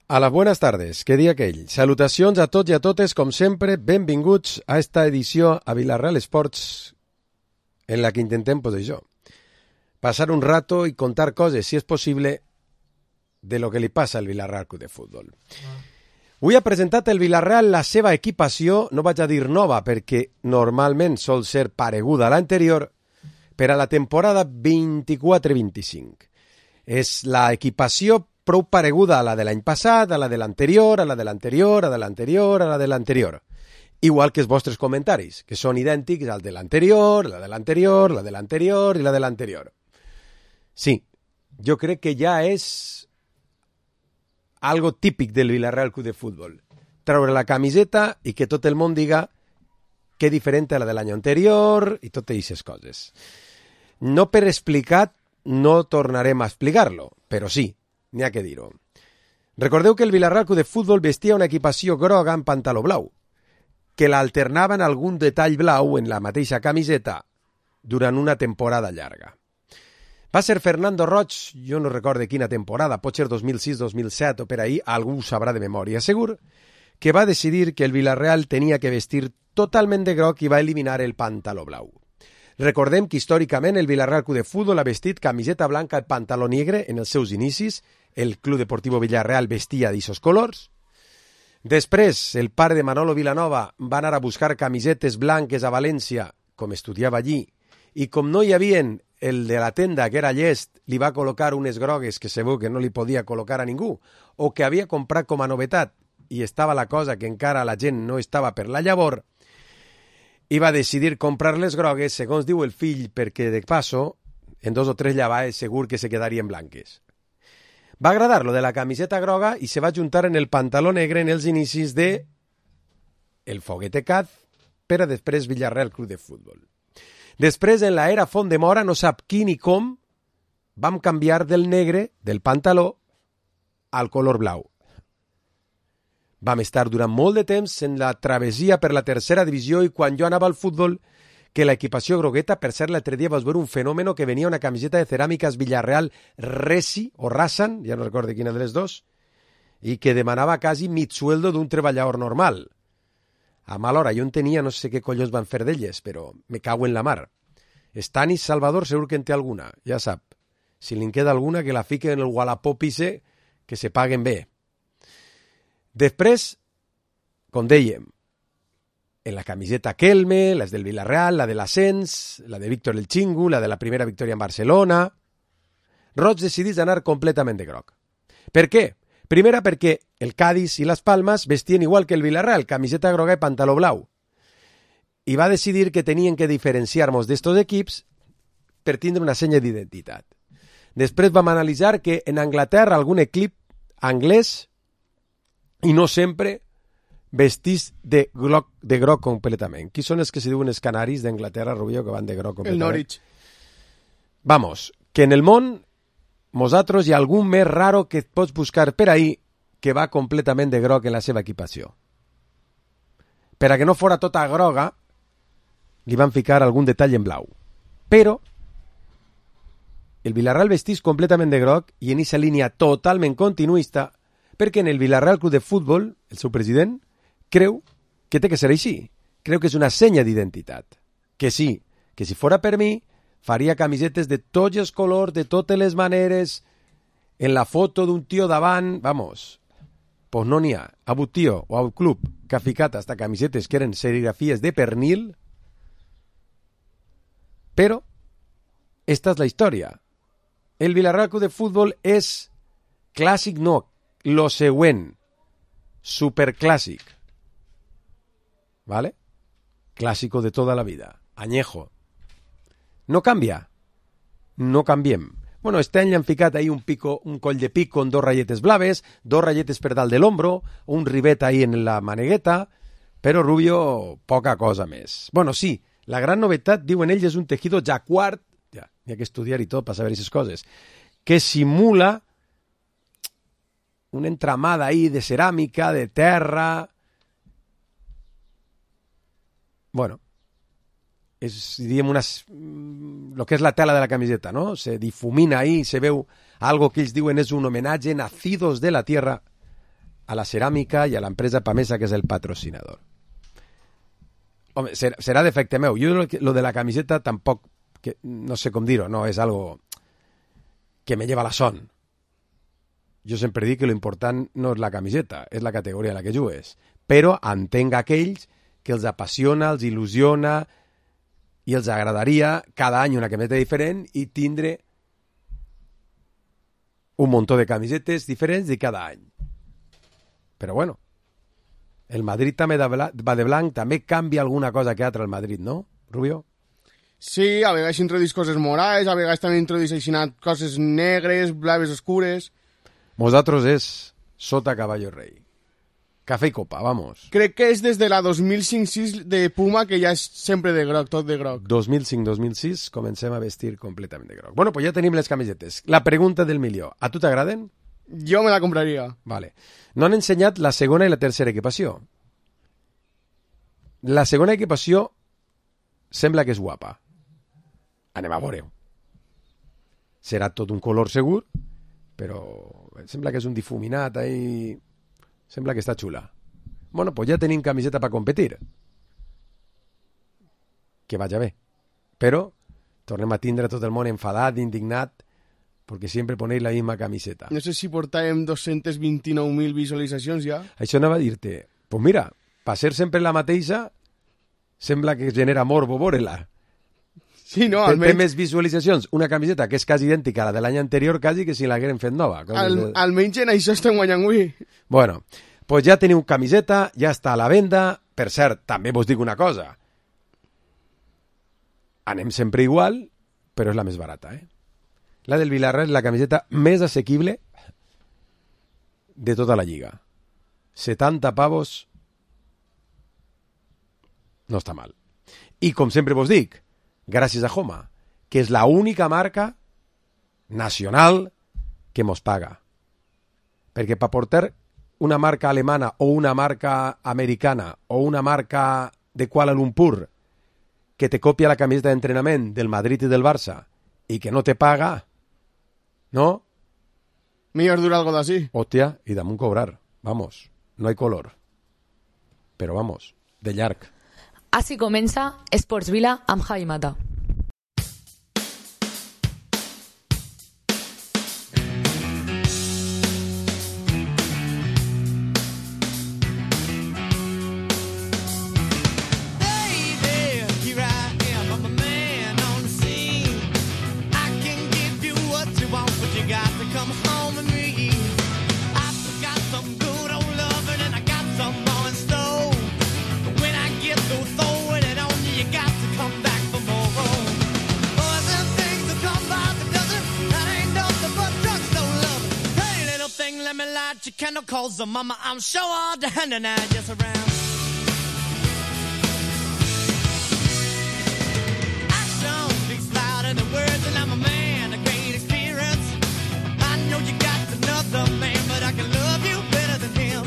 A las buenas tardes, que dia aquell. Salutacions a tots i a totes, com sempre, benvinguts a esta edició a Vilareal Sports, en la que intentem, pues això, passar un rato i contar coses, si és possible, de lo que li passa al Vilareal Club de Futbol. Avui ha presentat el Vilareal la seva equipació, no vaig a dir nova, perquè normalment sol ser pareguda a l'anterior, per a la temporada 24-25. És la equipació prou pareguda a la de l'any passat, a la de l'anterior, a la de l'anterior, a la de l'anterior, a la de l'anterior. Igual que els vostres comentaris, que són idèntics al de l'anterior, la de l'anterior, la de l'anterior i la de l'anterior. Sí, jo crec que ja és algo típic del Vilareal Club de Futbol. Treure la camiseta i que tot el món diga que és diferent a la de l'any anterior i totes aquestes coses. No per explicat, no tornarem a explicar-lo, però sí, n'hi ha que dir-ho. Recordeu que el Vilareal Club de Futbol vestia una equipació groga amb pantaló blau, que l'alternava en algun detall blau en la mateixa camiseta durant una temporada llarga. Va ser Fernando Roig, jo no recordo quina temporada, pot ser 2006-2007 o per ahí, algú ho sabrà de memòria segur, que va decidir que el Vilareal tenia que vestir totalment de groc i va eliminar el pantaló blau. Recordem que històricament el Vilareal Club de Futbol ha vestit camiseta blanca i pantaló negre en els seus inicis. El Club Deportivo Villarreal vestia d'aquests colors. Després, el pare de Manolo Vilanova va anar a buscar camisetes blanques a València, com estudiava allí, i com no hi havia el de la tenda, que era llest, li va col·locar unes grogues que segur que no li podia col·locar a ningú, o que havia comprat com a novetat, i estava la cosa que encara la gent no estava per la llavor, i va decidir comprar les grogues, segons diu el fill, perquè de passo, en 2 o 3 llavades segur que se quedarien blanques. Va agradar lo de la camiseta groga i se va juntar en el pantaló negre en els inicis de el Foguete Caz, per a després Vilareal Club de Futbol. Després, en la era Font de Mora, no sap qui ni com, vam canviar del negre, del pantaló, al color blau. Vam estar durant molt de temps en la travessia per la tercera divisió i quan jo anava al futbol, que la equipació grogueta, per ser l'altre dia vas veure un fenòmeno que venia una camiseta de ceràmiques Villarreal Resi o Rassan, ja no recordo quina de les dos, i que demanava quasi mig sueldo d'un treballador normal. A mal hora, jo en tenia, no sé què collons van fer d'elles, però me cago en la mar. Stanis Salvador segur que en té alguna, ja sap. Si li en queda alguna, que la fique en el Wallapop ise, que se paguen bé. Després, com dèiem, en la camiseta Kelme, les del Villarreal, la de l'Ascens, la de Víctor el Chingu, la de la primera victòria en Barcelona. Roig decidís anar completament de groc. Per què? Primera, perquè el Cádiz i les Palmes vestien igual que el Villarreal, camiseta groga i pantaló blau. I va decidir que tenien que diferenciar-nos d'estos equips per tindre una senya d'identitat. Després vam analitzar que en Anglaterra algun equip anglès, i no sempre, vestís de groc completament. Qui són els que se diuen els canaris d'Anglaterra, Rubio, que van de groc completament? El Norwich. Vamos, que en el món, nosaltres hi ha algun més raro que et pots buscar per ahí que va completament de groc en la seva equipació. Per a que no fora tota groga, li van ficar algun detall en blau. Però el Vilareal vestís completament de groc i en aquesta línia totalment continuista, perquè en el Vilareal Club de Futbol, el seu president, creu que té que ser així. Creu que és una senya d'identitat. Que sí, que si fora per mi, faria camisetes de tots els colors, de totes les maneres, en la foto d'un tio davant, vamos, pues no n'hi ha. Ha hagut tio o ha hagut club que ha ficat hasta camisetes que eren serigrafies de pernil, però esta és la història. El Vilareal Club de Futbol és clàssic, no, lo següent, superclàssic, ¿vale? Clásico de toda la vida, añejo. No canvia, no canviem. Bueno, este any li han ficat ahí un coll de pico amb 2 ratlletes blaves, 2 ratlletes per dalt de l'ombro, un rivet ahí en la manegueta, però Rubio, poca cosa més. Bueno, sí, la gran novetat, diuen ells, és un tejido jacquard, ja, hi ha que estudiar i tot per saber aquestes coses, que simula una entramada ahí de ceràmica, de terra. Bueno, es, diríem, lo que és la tela de la camiseta, ¿no? Se difumina ahí, se veu algo que ells diuen és un homenatge, nacidos de la tierra, a la ceràmica i a l'empresa Pamesa, que és el patrocinador. Home, serà defecte meu. Jo lo de la camiseta tampoc, que, no sé com dir-ho, no és algo que me lleva la son. Jo sempre dic que lo important no és la camiseta, és la categoria en la que jugues. Però entenc aquells que els apassiona, els il·lusiona i els agradaria cada any una camiseta diferent i tindre un muntó de camisetes diferents de cada any. Però bueno, el Madrid també va de blanc, també canvia alguna cosa que altra el Madrid, no, Rubio? Sí, a vegades introduís coses morades, a vegades també introduís coses negres, blaves oscures. Vosaltres és sota caballo rei. Cafè i copa, vamos. Crec que és des de la 2005-6 de Puma, que ja és sempre de groc, tot de groc. 2005-2006 comencem a vestir completament de groc. Bueno, pues ja tenim les camisetes. La pregunta del milió. A tu t'agraden? Jo me la compraria. Vale. No han ensenyat la segona i la tercera equipació. La segona equipació sembla que és guapa. Anem a veure-ho. Serà tot un color segur, però sembla que és un difuminat ahí. Sembla que està xula. Bueno, pues ja tenim camiseta per competir. Que vaja bé. Però tornem a tindre tot el món enfadat, indignat, perquè sempre ponéis la misma camiseta. No sé si portàvem 229.000 visualitzacions ja. Això anava a dir-te, pues mira, per ser sempre la mateixa, sembla que genera morbo veure-la. Sí, no, Té almenys... més visualitzacions una camiseta que és quasi idèntica a la de l'any anterior, quasi que si l'hagueren fet nova. Almenys en això estem guanyant avui. Bueno, pues ja teniu camiseta, ja està a la venda. Per cert, també vos dic una cosa. Anem sempre igual, però és la més barata, eh? La del Villarreal és la camiseta més assequible de tota la lliga. 70 pavos no està mal. I com sempre vos dic, gràcies a Homa, que és la única marca nacional que mos paga. Perquè per portar una marca alemana o una marca americana o una marca de Kuala Lumpur que te copia la camiseta d'entrenament del Madrid i del Barça i que no te paga, ¿no? Millor dura algo d'ací. Hòstia, i damunt cobrar. Vamos, no hay color. Però vamos, de llarg. Així comença Esports Vila amb Javi Mata. Calls the mama, I'm sure all the hand and I just around. Action speaks louder than words, and I'm a man of great experience. I know you got another man, but I can love you better than him.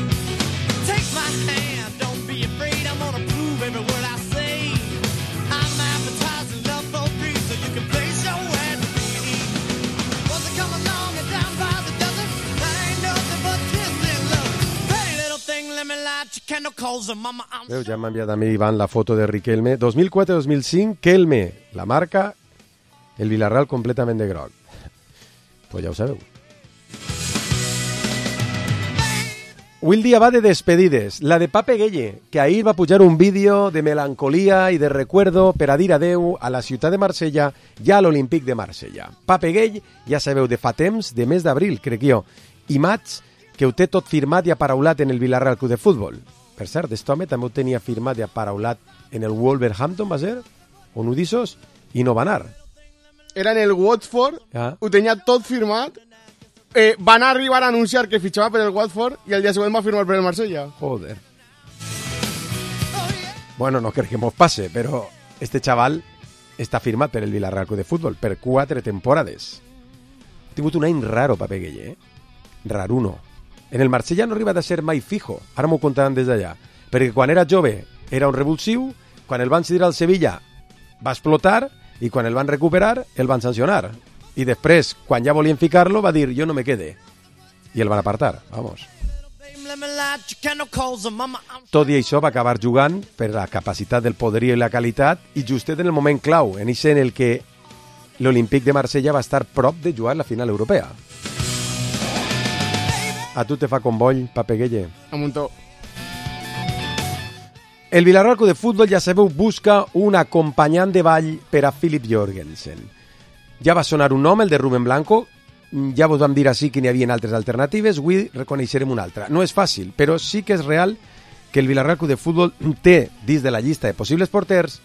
Take my hand, don't be afraid, I'm gonna prove every word I say. I'm advertising love for free, so you can place your ad to me. Was it come along and down by the dozen? That ain't nothing but Veu, ja m'ha enviat a mi Ivan la foto de Riquelme 2004-2005, Kelme, la marca, el Villarreal completament de groc. Pues ja ho sabeu. Avui el dia va de despedides. La de Pape Gueye, que ahir va pujar un vídeo de melancolia i de recuerdo per a dir adeu a la ciutat de Marsella i a l'Olímpic de Marsella. Pape Gueye, ja sabeu, de fa temps, de mes d'abril, crec jo, i maig, que ho té tot firmat i aparaulat en el Villarreal Club de Futbol. Per cert, aquest home també ho tenia firmat i aparaulat en el Wolverhampton, va ser? On ho dissos? I no va anar. Era en el Watford, ho tenia tot firmat, van arribar a anunciar que fitxava per el Watford i el dia següent va firmar per el Marsella. Joder. Bueno, no crec que mos passe, però este xaval està firmat per el Villarreal Club de Futbol per 4 temporades. Ha tingut un any raro, Pape Gueye, eh? Raruno. En el Marsella no arriba a ser mai fijo, ara m'ho contaran des d'allà, perquè quan era jove era un revulsiu, quan el van cedir al Sevilla va explotar i quan el van recuperar el van sancionar. I després, quan ja volien ficar-lo, va dir, jo no me quede. I el van apartar, vamos. Tot i això va acabar jugant per la capacitat del poderío i la qualitat i justet en el moment clau, en ese en el que l'Olímpic de Marsella va estar prop de jugar la final europea. A tu te fa convoll, Papeguelle? A muntó. El Villarreal Club de Futbol, ja sabeu, busca un acompanyant de ball per a Philip Jorgensen. Ja va sonar un nom, el de Rubén Blanco. Ja vos vam dir així que n'hi havia altres alternatives. Avui reconeixerem una altra. No és fàcil, però sí que és real que el Villarreal Club de Futbol té, dins de la llista de possibles porters,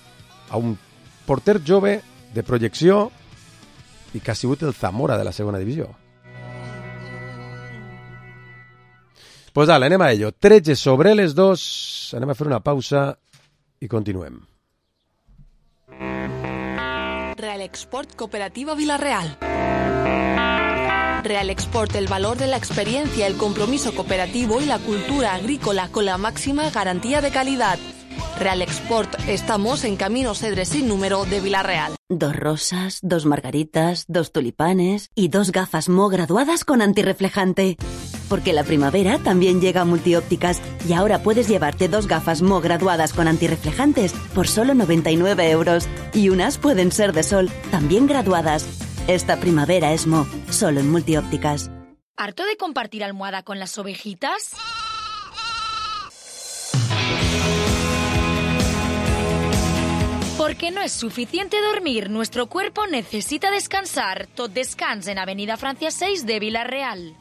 a un porter jove de projecció i que ha sigut el Zamora de la segona divisió. Pues dale, anem a ello. 13 sobre les 2. Anem a fer una pausa i continuem. Real Export Cooperativa Villarreal. Real Export, el valor de la experiencia, el compromiso cooperativo y la cultura agrícola con la máxima garantía de calidad. Real Export, estamos en Camino Cedres sin número de Villarreal. 2 rosas, 2 margaritas, 2 tulipanes y 2 gafas Mo graduadas con antirreflejante. Porque la primavera también llega a Multiópticas y ahora puedes llevarte 2 gafas Mo graduadas con antirreflejantes por solo 99 euros. Y unas pueden ser de sol, también graduadas. Esta primavera es Mo, solo en Multiópticas. ¿Harto de compartir almohada con las ovejitas? Porque no es suficiente dormir, nuestro cuerpo necesita descansar. Tot Descans en Avenida Francia 6 de Villarreal.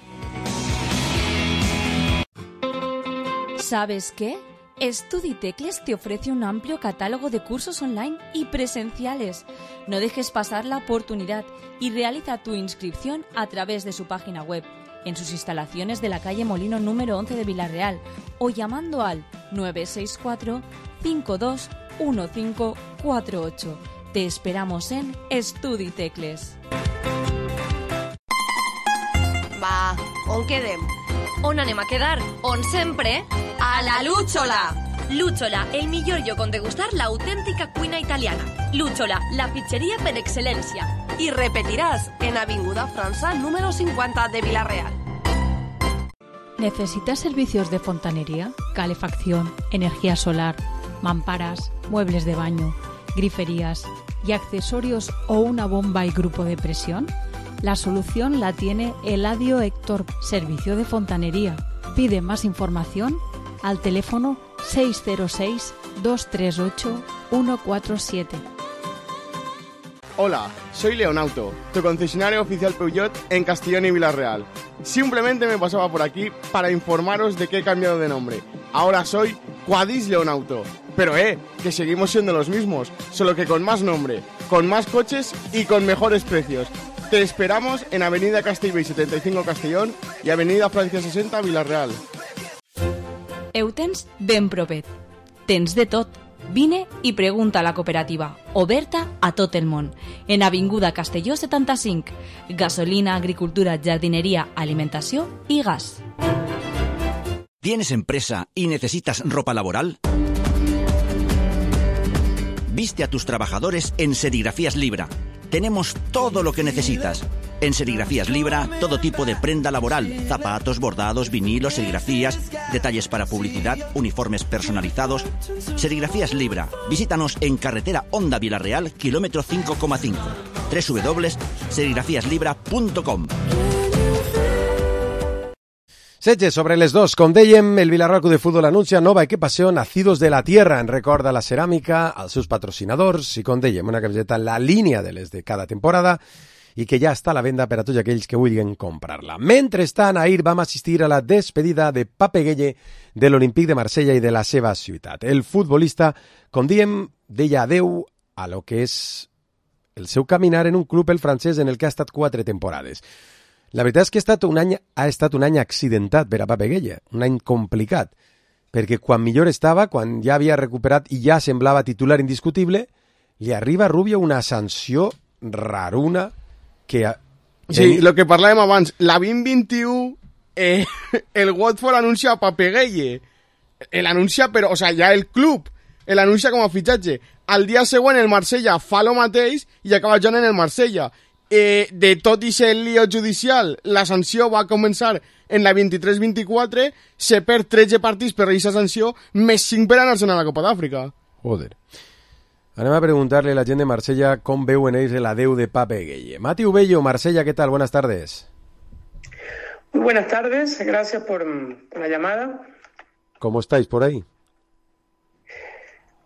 ¿Sabes qué? Estuditecles te ofrece un amplio catálogo de cursos online y presenciales. No dejes pasar la oportunidad y realiza tu inscripción a través de su página web, en sus instalaciones de la calle Molino número 11 de Villarreal o llamando al 964 521548. Te esperamos en Estuditecles. Va, on quedem? On anem a quedar? On sempre? A la Lúchola! Lúchola, el millor lloc on degustar la autèntica cuina italiana. Lúchola, la pizzería per excelencia. Y repetirás en Avinguda França número 50 de Villarreal. ¿Necesitas servicios de fontanería, calefacción, energía solar, mamparas, muebles de baño, griferías y accesorios o una bomba y grupo de presión? La solución la tiene Eladio Héctor, servicio de fontanería. Pide más información al teléfono 606-238-147. Hola, soy Leonauto, tu concesionario oficial Peugeot en Castellón y Villarreal. Simplemente me pasaba por aquí para informaros de que he cambiado de nombre. Ahora soy Quadis Leonauto. Pero que seguimos siendo los mismos, solo que con más nombre, con más coches y con mejores precios. Te esperamos en Avenida Castellbell 75 Castellón y Avenida Francia 60 Villarreal. Eutens ben propet. Tens de tot. Vine i pregunta a la cooperativa, oberta a tot el món. En Avinguda Castelló 75. Gasolina, agricultura, jardinería, alimentació y gas. ¿Tienes empresa y necesitas ropa laboral? Viste a tus trabajadores en Serigrafías Libra. Tenemos todo lo que necesitas. En Serigrafías Libra, todo tipo de prenda laboral, zapatos, bordados, vinilos, serigrafías, detalles para publicidad, uniformes personalizados. Serigrafías Libra. Visítanos en carretera Honda Villarreal, kilómetro 5,5. www.serigrafiaslibra.com. 16 sobre les 2. Com dèiem, el Villarreal Club de Futbol anuncia nova equipació Nacidos de la Tierra en record a la ceràmica, als seus patrocinadors i, com dèiem, una camiseta en la línia de les de cada temporada i que ja està a la venda per a tots aquells que vulguin comprar-la. Mentrestant, ahir vam assistir a la despedida de Papeguelle de l'Olímpic de Marsella i de la seva ciutat. El futbolista, com dèiem, deia adeu a lo que és el seu caminar en un club, el francès, en el que ha estat 4 temporades. La veritat és que ha estat un any accidentat per a Papeguelle, un any complicat, perquè quan millor estava, quan ja havia recuperat i ja semblava titular indiscutible, li arriba a Rubio una sanció raruna que... Sí, lo que parlàvem abans, la 2021, el Watford anuncia a Papeguelle, l'anuncia, però, o sea, ja el club, l'anuncia com a fitxatge. Al dia següent el Marsella fa lo mateix i acaba jugant en el Marsella. de tot i ser el lío judicial, la sanció va començar en la 23-24, se perd 13 partits per aquesta sanció, més 5 per anar-se'n a la Copa d'Àfrica. Joder. Anem a preguntarle a la gent de Marsella com veuen ells l'adeu de Pape Gueye. Mati Ubello, Marsella, ¿qué tal? Buenas tardes. Muy buenas tardes, gracias por la llamada. ¿Cómo estáis por ahí?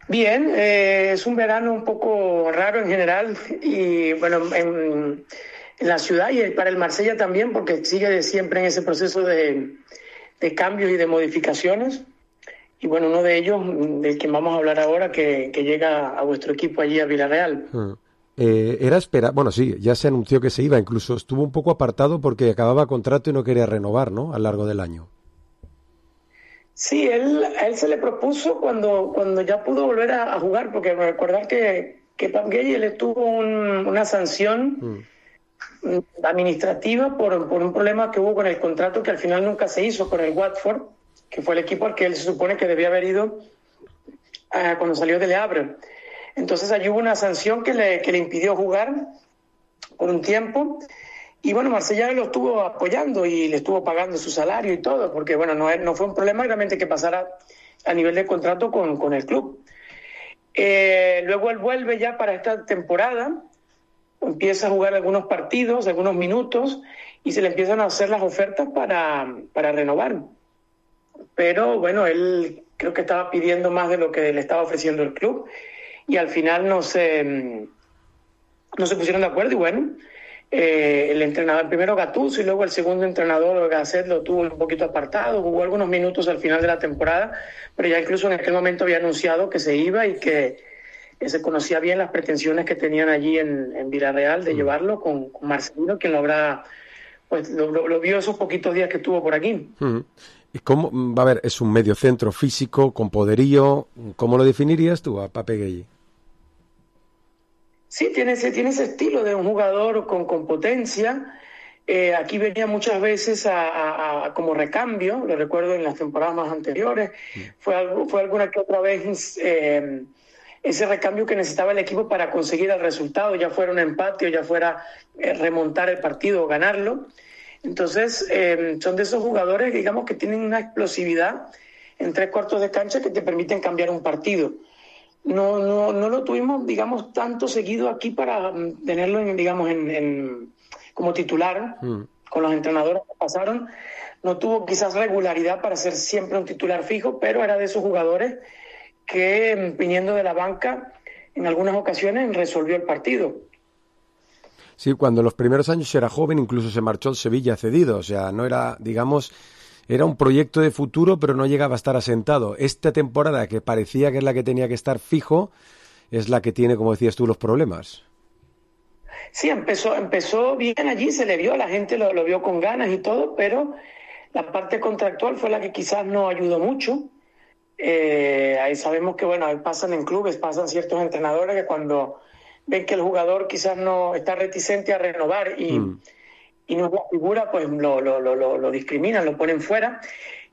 Bien, es un verano un poco raro en general y bueno, en la ciudad y para el Marsella también, porque sigue siempre en ese proceso de cambios y de modificaciones. Y bueno, uno de ellos, del que vamos a hablar ahora, que llega a vuestro equipo allí a Villarreal. Era esperar, bueno, sí, ya se anunció que se iba, incluso estuvo un poco apartado porque acababa contrato y no quería renovar, ¿no? A lo largo del año. Sí, a él se le propuso cuando ya pudo volver a jugar, porque recordar que Pape Gueye le tuvo una sanción administrativa por un problema que hubo con el contrato que al final nunca se hizo con el Watford, que fue el equipo al que él se supone que debía haber ido cuando salió de Le Havre. Entonces allí hubo una sanción que le impidió jugar por un tiempo. Y bueno, Marsella lo estuvo apoyando y le estuvo pagando su salario y todo, porque bueno, no fue un problema realmente que pasara a nivel de contrato con el club. Luego él vuelve ya para esta temporada, empieza a jugar algunos partidos, algunos minutos, y se le empiezan a hacer las ofertas para renovar. Pero bueno, él creo que estaba pidiendo más de lo que le estaba ofreciendo el club, y al final no se pusieron de acuerdo, y bueno, el entrenador, primero Gattuso y luego el segundo entrenador, Gasset, lo tuvo un poquito apartado, jugó algunos minutos al final de la temporada, pero ya incluso en aquel momento había anunciado que se iba y que se conocía bien las pretensiones que tenían allí en Villarreal de llevarlo con Marcelino, quien lo vio esos poquitos días que estuvo por aquí. ¿Y cómo, va a ver, es un medio centro físico, con poderío? ¿Cómo lo definirías tú a Pape Gueye? Sí, tiene ese estilo de un jugador con potencia. Aquí venía muchas veces como recambio, lo recuerdo en las temporadas más anteriores. Fue alguna que otra vez ese recambio que necesitaba el equipo para conseguir el resultado, ya fuera un empate o ya fuera remontar el partido o ganarlo. Entonces, son de esos jugadores, digamos, que tienen una explosividad en 3/4 de cancha que te permiten cambiar un partido. No lo tuvimos, digamos, tanto seguido aquí para tenerlo, como titular, con los entrenadores que pasaron. No tuvo quizás regularidad para ser siempre un titular fijo, pero era de esos jugadores que, viniendo de la banca, en algunas ocasiones resolvió el partido. Sí, cuando en los primeros años era joven, incluso se marchó al Sevilla cedido, o sea, no era, digamos, era un proyecto de futuro, pero no llegaba a estar asentado. Esta temporada, que parecía que es la que tenía que estar fijo, es la que tiene, como decías tú, los problemas. Sí, empezó bien allí, se le vio, la gente lo vio con ganas y todo, pero la parte contractual fue la que quizás no ayudó mucho. Ahí sabemos que, bueno, ahí pasan en clubes, pasan ciertos entrenadores que cuando ven que el jugador quizás no está reticente a renovar y no es la figura, pues lo discriminan, lo ponen fuera.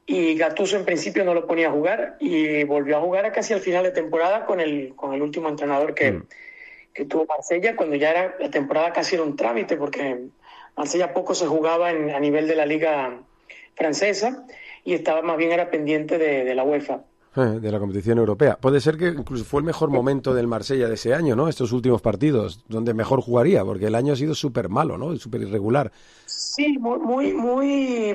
Y Gattuso en principio no lo ponía a jugar y volvió a jugar casi al final de temporada con el último entrenador que tuvo Marsella, cuando ya la temporada casi era un trámite, porque Marsella poco se jugaba a nivel de la liga francesa y estaba más bien era pendiente de la UEFA. De la competición europea. Puede ser que incluso fue el mejor momento del Marsella de ese año, ¿no? Estos últimos partidos, donde mejor jugaría, porque el año ha sido súper malo, ¿no? Súper irregular. Sí, muy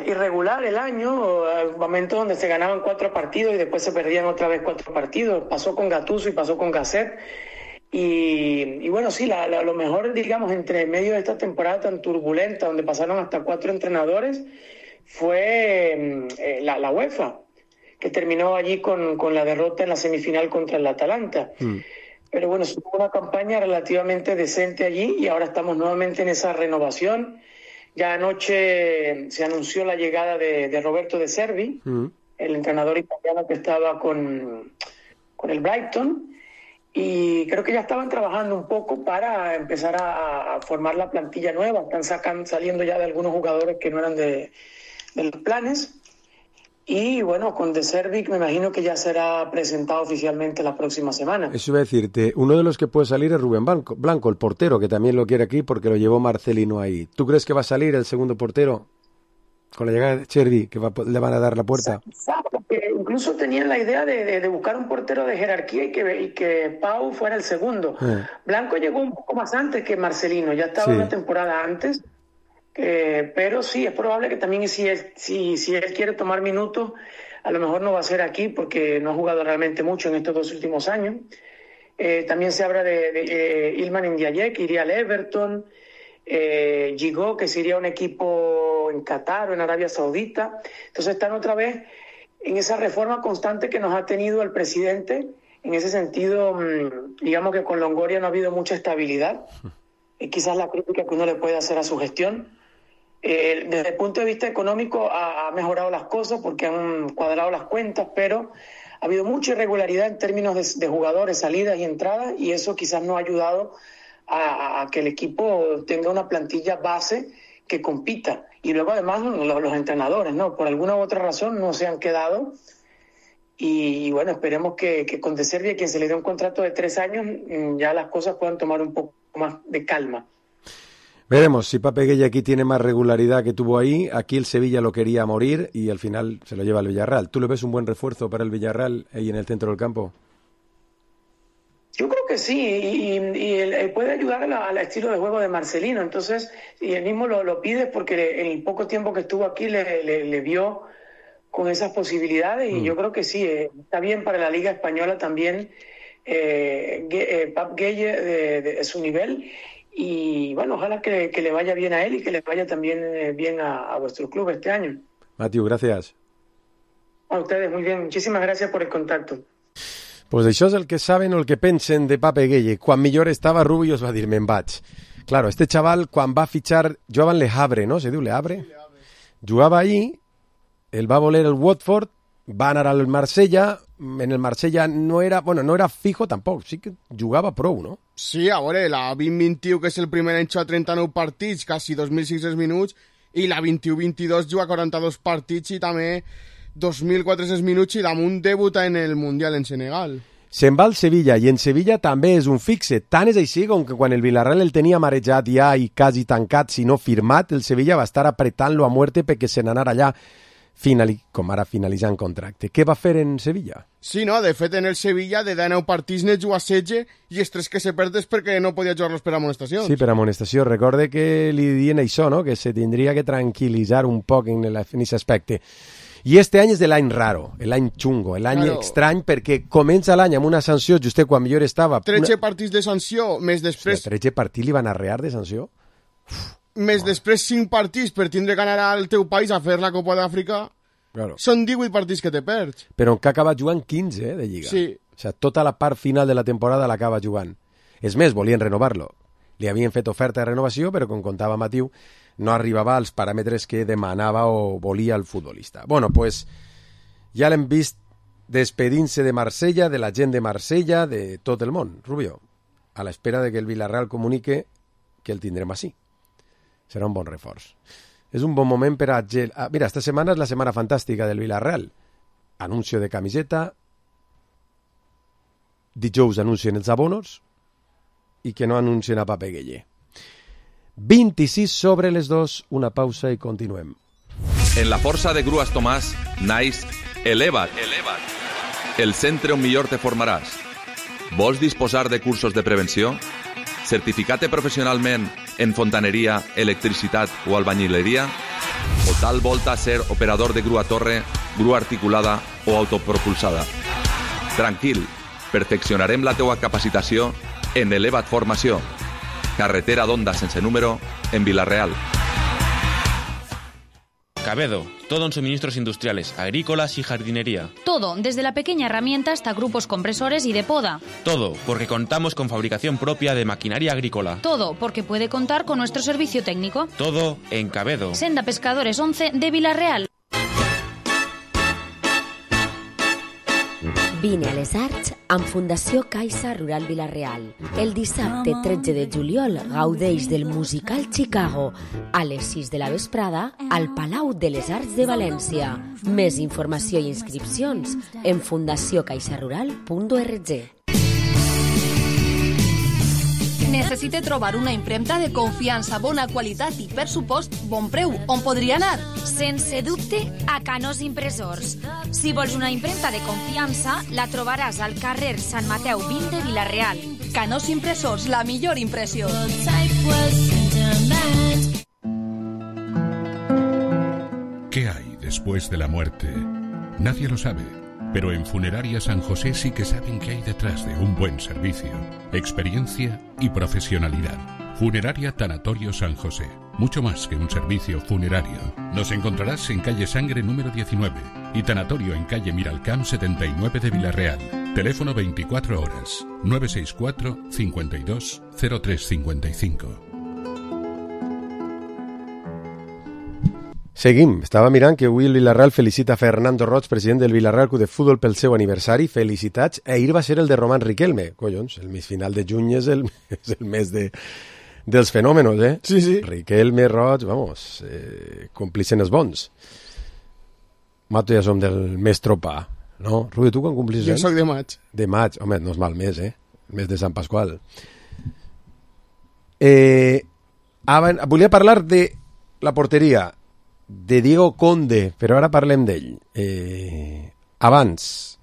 irregular el año, momentos donde se ganaban 4 partidos y después se perdían otra vez 4 partidos. Pasó con Gattuso y pasó con Gasset. Y bueno, sí, lo mejor, digamos, entre medio de esta temporada tan turbulenta, donde pasaron hasta 4 entrenadores, fue la UEFA, que terminó allí con la derrota en la semifinal contra el Atalanta. Pero bueno, se tuvo una campaña relativamente decente allí y ahora estamos nuevamente en esa renovación. Ya anoche se anunció la llegada de Roberto De Zerbi, el entrenador italiano que estaba con el Brighton, y creo que ya estaban trabajando un poco para empezar a formar la plantilla nueva. Están saliendo ya de algunos jugadores que no eran de los planes. Y bueno, con De Zerbi me imagino que ya será presentado oficialmente la próxima semana. Eso iba a decirte, uno de los que puede salir es Rubén Blanco, el portero, que también lo quiere aquí porque lo llevó Marcelino ahí. ¿Tú crees que va a salir el segundo portero con la llegada de Chervi, que le van a dar la puerta? Porque incluso tenían la idea de buscar un portero de jerarquía y que Pau fuera el segundo. Blanco llegó un poco más antes que Marcelino, ya estaba una temporada antes. Pero sí, es probable que también si él quiere tomar minutos, a lo mejor no va a ser aquí porque no ha jugado realmente mucho en estos 2 últimos años. También se habla de Ilman Ndiaye, que iría al Everton, Gigot, que se iría a un equipo en Qatar o en Arabia Saudita. Entonces están otra vez en esa reforma constante que nos ha tenido el presidente. En ese sentido, digamos que con Longoria no ha habido mucha estabilidad. Quizás la crítica que uno le puede hacer a su gestión. Desde el punto de vista económico ha mejorado las cosas porque han cuadrado las cuentas, pero ha habido mucha irregularidad en términos de jugadores, salidas y entradas, y eso quizás no ha ayudado a que el equipo tenga una plantilla base que compita. Y luego además los entrenadores, ¿no? Por alguna u otra razón no se han quedado. Y bueno, esperemos que con De Zerbi, a quien se le dio un contrato de 3 años, ya las cosas puedan tomar un poco más de calma. Veremos si Pape Gueye aquí tiene más regularidad que tuvo ahí. Aquí el Sevilla lo quería morir y al final se lo lleva al Villarreal. ¿Tú le ves un buen refuerzo para el Villarreal ahí en el centro del campo? Yo creo que sí, y él puede ayudar al estilo de juego de Marcelino. Entonces, y él mismo lo pide porque en el poco tiempo que estuvo aquí le vio con esas posibilidades, y yo creo que sí, está bien para la Liga Española también Pape Gueye de su nivel. Y bueno, ojalá que le vaya bien a él y que le vaya también bien a vuestro club este año. Matiu, gracias. A ustedes, muy bien. Muchísimas gracias por el contacto. Pues això és el que saben o el que pensen de Pape Gueye. Quan millor estava Rubius va dir me'n vaig. Claro, este chaval quan va fitxar, jugava en Le Havre, ¿no? Se diu Le Havre? Jugava ahí, el va voler el Watford, va anar al Marsella, en el Marsella no era fijo tampoc, sí que jugava prou, no? Sí, a veure, la 20-21, que és el primer any, juga 39 partits, quasi 2.600 minuts, i la 21-22 juga 42 partits i també 2.400 minuts i damunt debuta en el Mundial en Senegal. Se'n va al Sevilla, i en Sevilla també és un fixe. Tant és així com que quan el Villarreal el tenia marejat ja i quasi tancat, si no firmat, el Sevilla va estar apretant-lo a muerte perquè se n'anara allà com ara finalitzant contracte. Què va fer en Sevilla? Sí, no, de fet en el Sevilla de 19 partits ne juga 16 i els 3 que se perdes perquè no podia jugar-los per amonestacions. Sí, per amonestació. Recorde que li dient això, no? Que se tindria que tranquil·litzar un poc en aquest aspecte. I este any és de l'any raro, l'any xungo, l'any estrany, perquè comença l'any amb una sanció just quan millor estava. 13 partits de sanció, més després... O sigui, 13 partits li van arrear de sanció? Més després 5 partits per tindre que anar al teu país a fer la Copa d'Àfrica. Claro. Són 18 partits que te perds. Però que ha acabat jugant 15 de Lliga. Sí. O sigui, tota la part final de la temporada l'acaba jugant. És més, volien renovar-lo. Li havien fet oferta de renovació, però com contava Matiu, no arribava als paràmetres que demanava o volia el futbolista. Bueno, pues ja l'hem vist despedint-se de Marsella, de la gent de Marsella, de tot el món, Rubio, a l'espera de que el Villarreal comunique que el tindrem així. Serà un bon reforç. És un bon moment per a... Mira, esta setmana és la setmana fantàstica del Villarreal. Anuncio de camiseta, dijous anuncien els abonos i que no anuncien a Pape Gueye. 26 sobre les 2, una pausa i continuem. En la força de Grues Tomàs naix Eleva't, el centre on millor te formaràs. Vols disposar de cursos de prevenció? Certificat professionalment en fontaneria, electricitat o albañileria? O tal volta ser operador de grua torre, grua articulada o autopropulsada? Tranquil, perfeccionarem la teua capacitació en Eleva't Formació. Carretera d'Onda sense número en Vila-real. Cabedo, todo en suministros industriales, agrícolas y jardinería. Todo, desde la pequeña herramienta hasta grupos compresores y de poda. Todo, porque contamos con fabricación propia de maquinaria agrícola. Todo, porque puede contar con nuestro servicio técnico. Todo en Cabedo. Senda Pescadores 11 de Vila-real. Vine a les Arts amb Fundació Caixa Rural Vila-real. El dissabte 13 de juliol gaudeix del musical Chicago a les 6 de la vesprada al Palau de les Arts de València. Més informació i inscripcions en fundaciocaixarural.org. Necessita trobar una impremta de confiança, bona qualitat i, per supost, bon preu. On podria anar? Sense dubte, a Canós Impressors. Si vols una impremta de confiança, la trobaràs al carrer Sant Mateu 20 de Vila-real. Canós Impressors, la millor impressió. ¿Qué hay después de la muerte? Nadie lo sabe. Pero en Funeraria San José sí que saben qué hay detrás de un buen servicio, experiencia y profesionalidad. Funeraria Tanatorio San José. Mucho más que un servicio funerario. Nos encontrarás en calle Sangre número 19 y Tanatorio en calle Miralcamp 79 de Vila-real. Teléfono 24 horas 964 52 0355. Seguim. Estava mirant que avui el Vila-real felicita Fernando Roig, president del Vila-real Club de Futbol, pel seu aniversari. Felicitats. Ahir va ser el de Román Riquelme. Collons, el mes final de juny és el mes dels fenòmenos, eh? Sí, sí. Riquelme, Roig, vamos, complicen els bons. Mato ja som del mes tropà, no? Rudi, tu quan complis Jo anys? soc de maig. De maig, home, no és mal mes, eh? El mes de Sant Pasqual. Volia parlar de la porteria de Diego Conde, però ara parlem d'ell. Abans,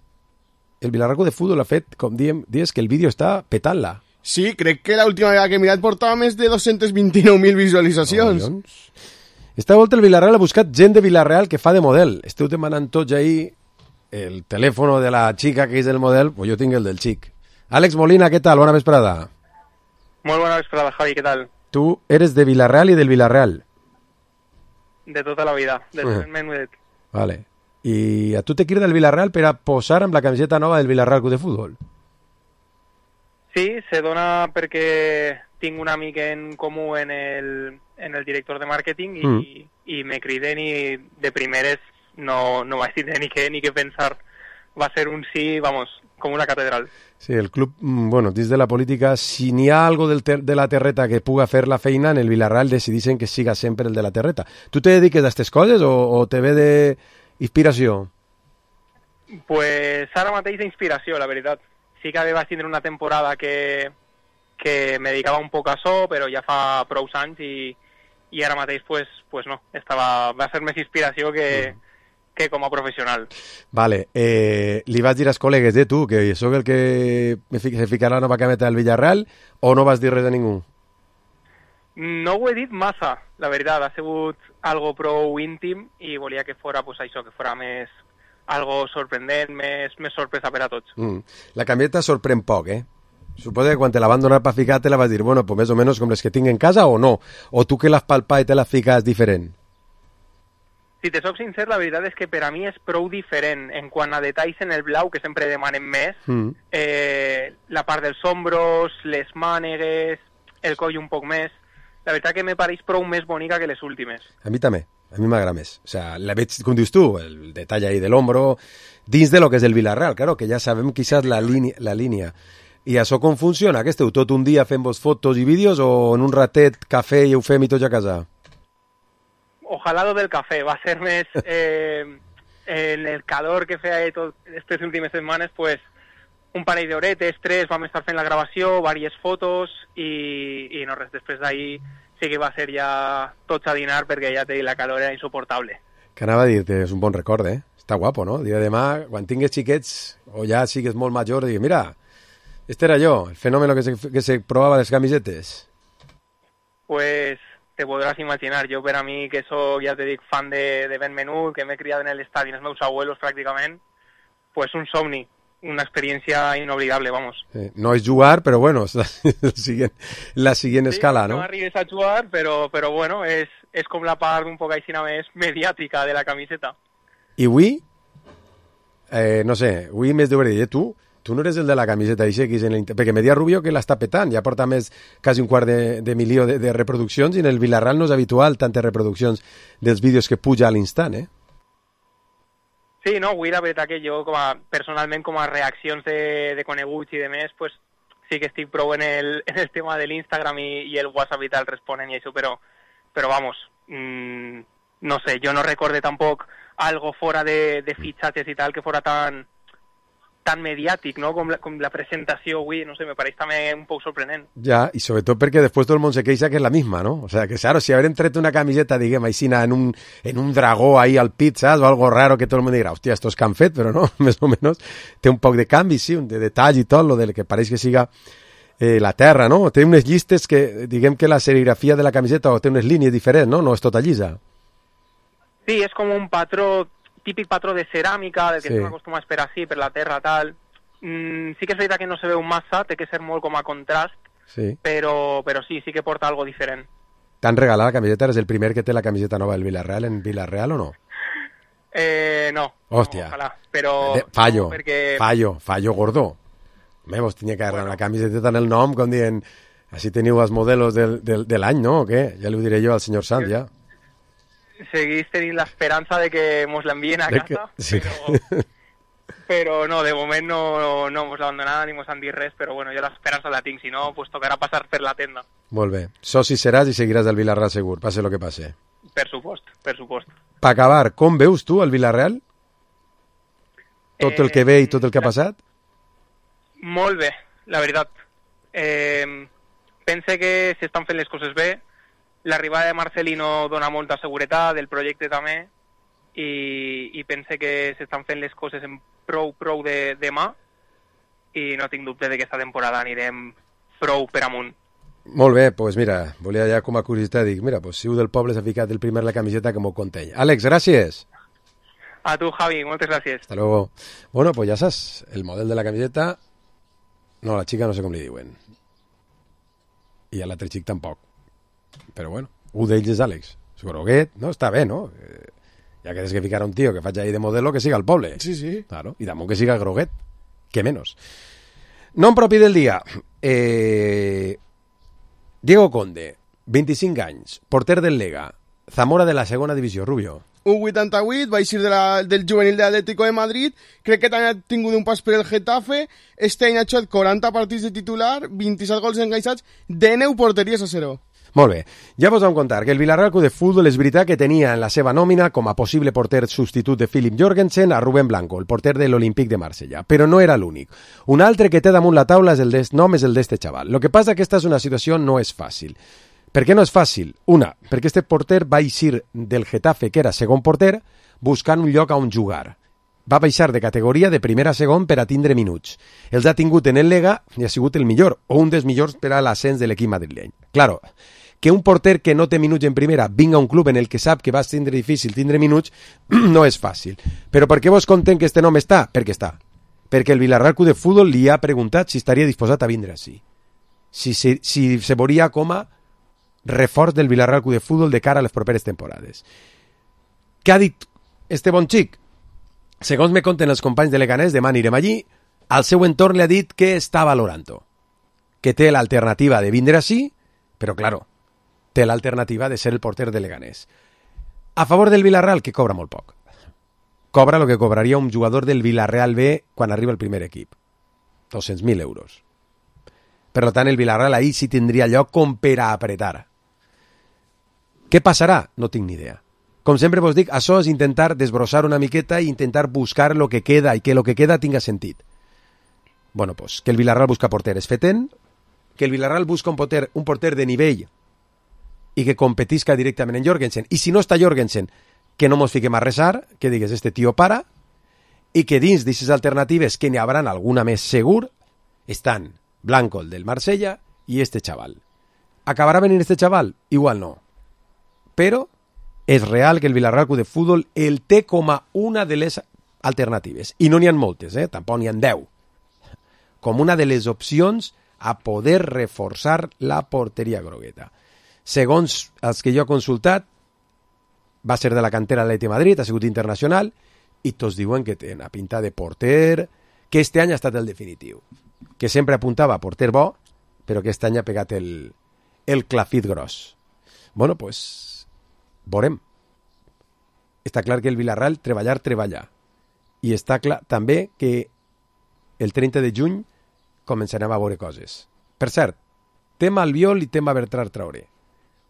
el Vila-real Club de Futbol ha fet, com diem, dies que el vídeo està petant-la. Sí, crec que l'última vegada que he mirat portava més de 229.000 visualitzacions. Esta volta el Vila-real ha buscat gent de Vila-real que fa de model. Esteu demanant tots ahir el telèfon de la xica que és el model, pues jo tinc el del xic. Àlex Molina, què tal? Bona vesprada. Molt bona vesprada, Javi, què tal? Tu eres de Vila-real i del Vila-real. De tota la vida, del menudet. Vale. I a tu te crida el Vila-real per a posar amb la camiseta nova del Vila-real Club de Futbol? Sí, se dona perquè tinc un amic en comú en el director de màrqueting i me criden i de primeres no vaig tindre ni què pensar. Va ser un sí, vamos, com una catedral. Sí, el club, bueno, dins de la política, si n'hi ha algo de la terreta que puga fer la feina, en el Vila-real decideixen que siga sempre el de la terreta. Tu te dediques a aquestes coses o te ve d'inspiració? Pues ara mateix d'inspiració, la veritat. Sí que vaig tindre una temporada que me dedicava un poc a això, però ja fa prou anys i ara mateix pues no. Va ser més inspiració que com a professional. Vale, li vas dir als col·legues de tu que sóc el que se ficarà la nova cameta del Villarreal o no vas dir res a ningú? No ho he dit massa, la veritat, ha sigut algo prou íntim i volia que fora pues, això, que fora més algo sorprendent, més sorpresa per a tots. La cameta sorprèn poc, eh? Suposo que quan te la van donar per ficar te la vas dir, bueno, pues més o menys com les que tinc en casa o no? O tu que l'has palpat i te la fiques diferent? Si te soc sincer, la veritat és que per a mi és prou diferent en quant a detalls en el blau, que sempre demanem més, la part dels ombros, les mànegues, el coll un poc més. La veritat que me pareix prou més bonica que les últimes. A mi també, a mi m'agrada més. O sea, la veig, com dius tu, el detall ahí de l'hombro, dins de lo que és el Vila-real, claro, que ja sabem quizás la línia. I això com funciona? Que esteu tot un dia fent-vos fotos i vídeos o en un ratet, cafè i ho fem i tots a casa? Ojalá lo del café, va a ser més en el calor que feia aquestes últimes setmanes, pues un parell d'horetes, 3, vam estar fent la gravació, diverses fotos i no res, després d'ahir sí que va ser ja tots a dinar perquè ja la calor era insuportable. Que anava a dir-te, és un bon record, eh? Està guapo, no? El dia de demà, quan tingues xiquets o ja sigues molt major, digues, mira, este era yo, el fenómeno que se probaba de las camisetes. Pues te podràs imaginar, jo per a mi que soc, ja te dic, fan de Ben Menut, que m'he criat en l'estadi, els meus abuelos pràcticament, pues un somni, una experiència inoblidable, vamos. No és jugar, però bueno, és la siguient escala, no? No arribes a jugar, però bueno, és com la part un poc així més mediàtica de la camiseta. I avui, no sé, avui m'has de dir, tu no eres el de la camiseta perquè Media Rubio que l'està petant, ja porta més quasi un quart de milió de reproduccions i en el Vila-real no és habitual tantes reproduccions dels vídeos que puja a l'instant, eh? Sí, no, avui la veritat que jo, personalment, com a reaccions de coneguts i de més, pues, sí que estic prou en el tema de l'Instagram i el WhatsApp i tal responen i això, però vamos, no sé, jo no recorde tampoc algo fora de fitxatges i tal que fora tan mediàtic, no? Com la presentació avui, no sé, me pareix també un poc sorprenent. Ja, i sobretot perquè després tot el món se queixa que és la misma, ¿no? O sea, que claro, si habrem tret una camiseta, diguem, aixina, en un dragó ahí al pit, saps? O algo raro que tot el món dirà, hòstia, estos que han fet, però no, més o menys té un poc de canvi, sí, de detall i tot, lo del que pareix que siga la terra, no? Té unes llistes que, diguem que la serigrafia de la camiseta o té unes línies diferents, no? No és tota llisa. Sí, és com un patró, típic patró de ceràmica, del que sí. estem acostumats per així, per la terra, tal. Sí que és veritat que no se veu massa, té que ser molt com a contrast, sí. Però sí que porta algo diferent. T'han regalat la camiseta? Eres el primer que té la camiseta nova del Villarreal en Villarreal o no? No. Hòstia. No, ojalà, però... Fallo, no, perquè... fallo gordo. Vos tenia que agarrar la camiseta en el nom, com dient, així teniu els modelos de l'any, no? O què? Ja li ho diré jo al senyor Sant, ja. Seguís tenint l'esperança de que mos l'envien a casa, sí. però no, de moment no mos l'han donat ni mos han dit res, però bueno, jo l'esperança la tinc, si no, pues tocarà passar per la tenda. Molt bé. Soci seràs i seguiràs el Villarreal segur, passe lo que passe. Per supost. Per acabar, com veus tu el Villarreal? Tot el que ve i tot el que ha passat? Molt bé, la veritat. Pense que s'estan fent les coses bé. L'arribada de Marcelino dona molta seguretat, del projecte també, i pense que s'estan fent les coses en prou de mà, i no tinc dubte de que aquesta temporada anirem prou per amunt. Molt bé, doncs mira, volia ja com a curiositat dir, mira, pues, si un del poble s'ha ficat el primer la camiseta que m'ho contell. Àlex, gràcies. A tu, Javi, moltes gràcies. Hasta luego. Bueno, pues ja saps, el model de la camiseta, no, la xica no sé com li diuen. I a l'altre xic tampoc. Però bueno, un d'ells és Àlex. Groguet, no? Està bé, no? Ja que tens que ficar un tio que faig ahí de modelo, que siga al poble. Sí, sí. Claro, i damunt que siga Groguet. Que menos. Nom propi del dia. Diego Conde, 25 anys, porter del Lega, Zamora de la segona divisió, Rubio. Un 88, va eixir del juvenil de l'Atlético de Madrid, crec que també ha tingut un pas per el Getafe, este any ha jugat 40 partits de titular, 27 gols encaixats, 19 porteries a 0. Molt bé, ja vos vam contar que el Villarreal Club de Futbol és veritat que tenia en la seva nòmina com a possible porter substitut de Philip Jorgensen a Rubén Blanco, el porter de l'Olímpic de Marsella, però no era l'únic. Un altre que té damunt la taula és el nom és el d'este xaval. Lo que passa que esta és una situació no és fàcil. Per què no és fàcil? Una, perquè este porter va eixir del Getafe, que era segon porter, buscant un lloc on jugar. Va baixar de categoria de primera a segon per a tindre minuts. Els ha tingut en el Lega i ha sigut el millor, o un dels millors per a l'ascens de l'equip madrileny. Claro, que un porter que no té minuts en primera vinga a un club en el que sap que va tindre difícil tindre minuts no és fàcil. Però per què vos contem que este nom està? Perquè està. Perquè el Villarreal Club de Futbol li ha preguntat si estaria disposat a vindre així. Si se veuria com a reforç del Villarreal Club de Futbol de cara a les properes temporades. Què ha dit este bon xic? Segons me conten els companys de Leganés, demà anirem allí, al seu entorn li ha dit que està valorant-ho. Que té l'alternativa de vindre així, però, claro, té l'alternativa de ser el porter de Leganés. A favor del Villarreal, que cobra molt poc. Cobra el que cobraria un jugador del Villarreal B quan arriba el primer equip. 200.000 euros. Per tant, el Villarreal ahí sí tindria lloc com per a apretar. Què passarà? No tinc ni idea. Com sempre vos dic, això és intentar desbrossar una miqueta i intentar buscar lo que queda i que lo que queda tinga sentit. Bueno, pues, que el Villarreal busca porter és fetent, que el Villarreal busca un porter de nivell i que competisca directament en Jorgensen. I si no està Jorgensen, que no mos fiquem a resar, que digues, este tio para, i que dins d'aquestes alternatives, que n'hi hauran alguna més segur, estan Blanco, el del Marsella, i este xaval. ¿Acabarà venint este xaval? Igual no. Però és real que el Villarreal Club de Futbol el té com a una de les alternatives. I no n'hi ha moltes, tampoc n'hi ha 10. Com una de les opcions a poder reforçar la porteria grogueta. Segons els que jo he consultat, va ser de la cantera de l'Atlètic de Madrid, ha sigut internacional, i tots diuen que té una pinta de porter, que este any ha estat el definitiu. Que sempre apuntava a porter bo, però que este any ha pegat el clafit gros. Bueno, pues, veurem. Està clar que el Villarreal treballa. i està clar també que el 30 de juny començarem a veure coses. Per cert, tema Albiol i tema Bertran Traoré.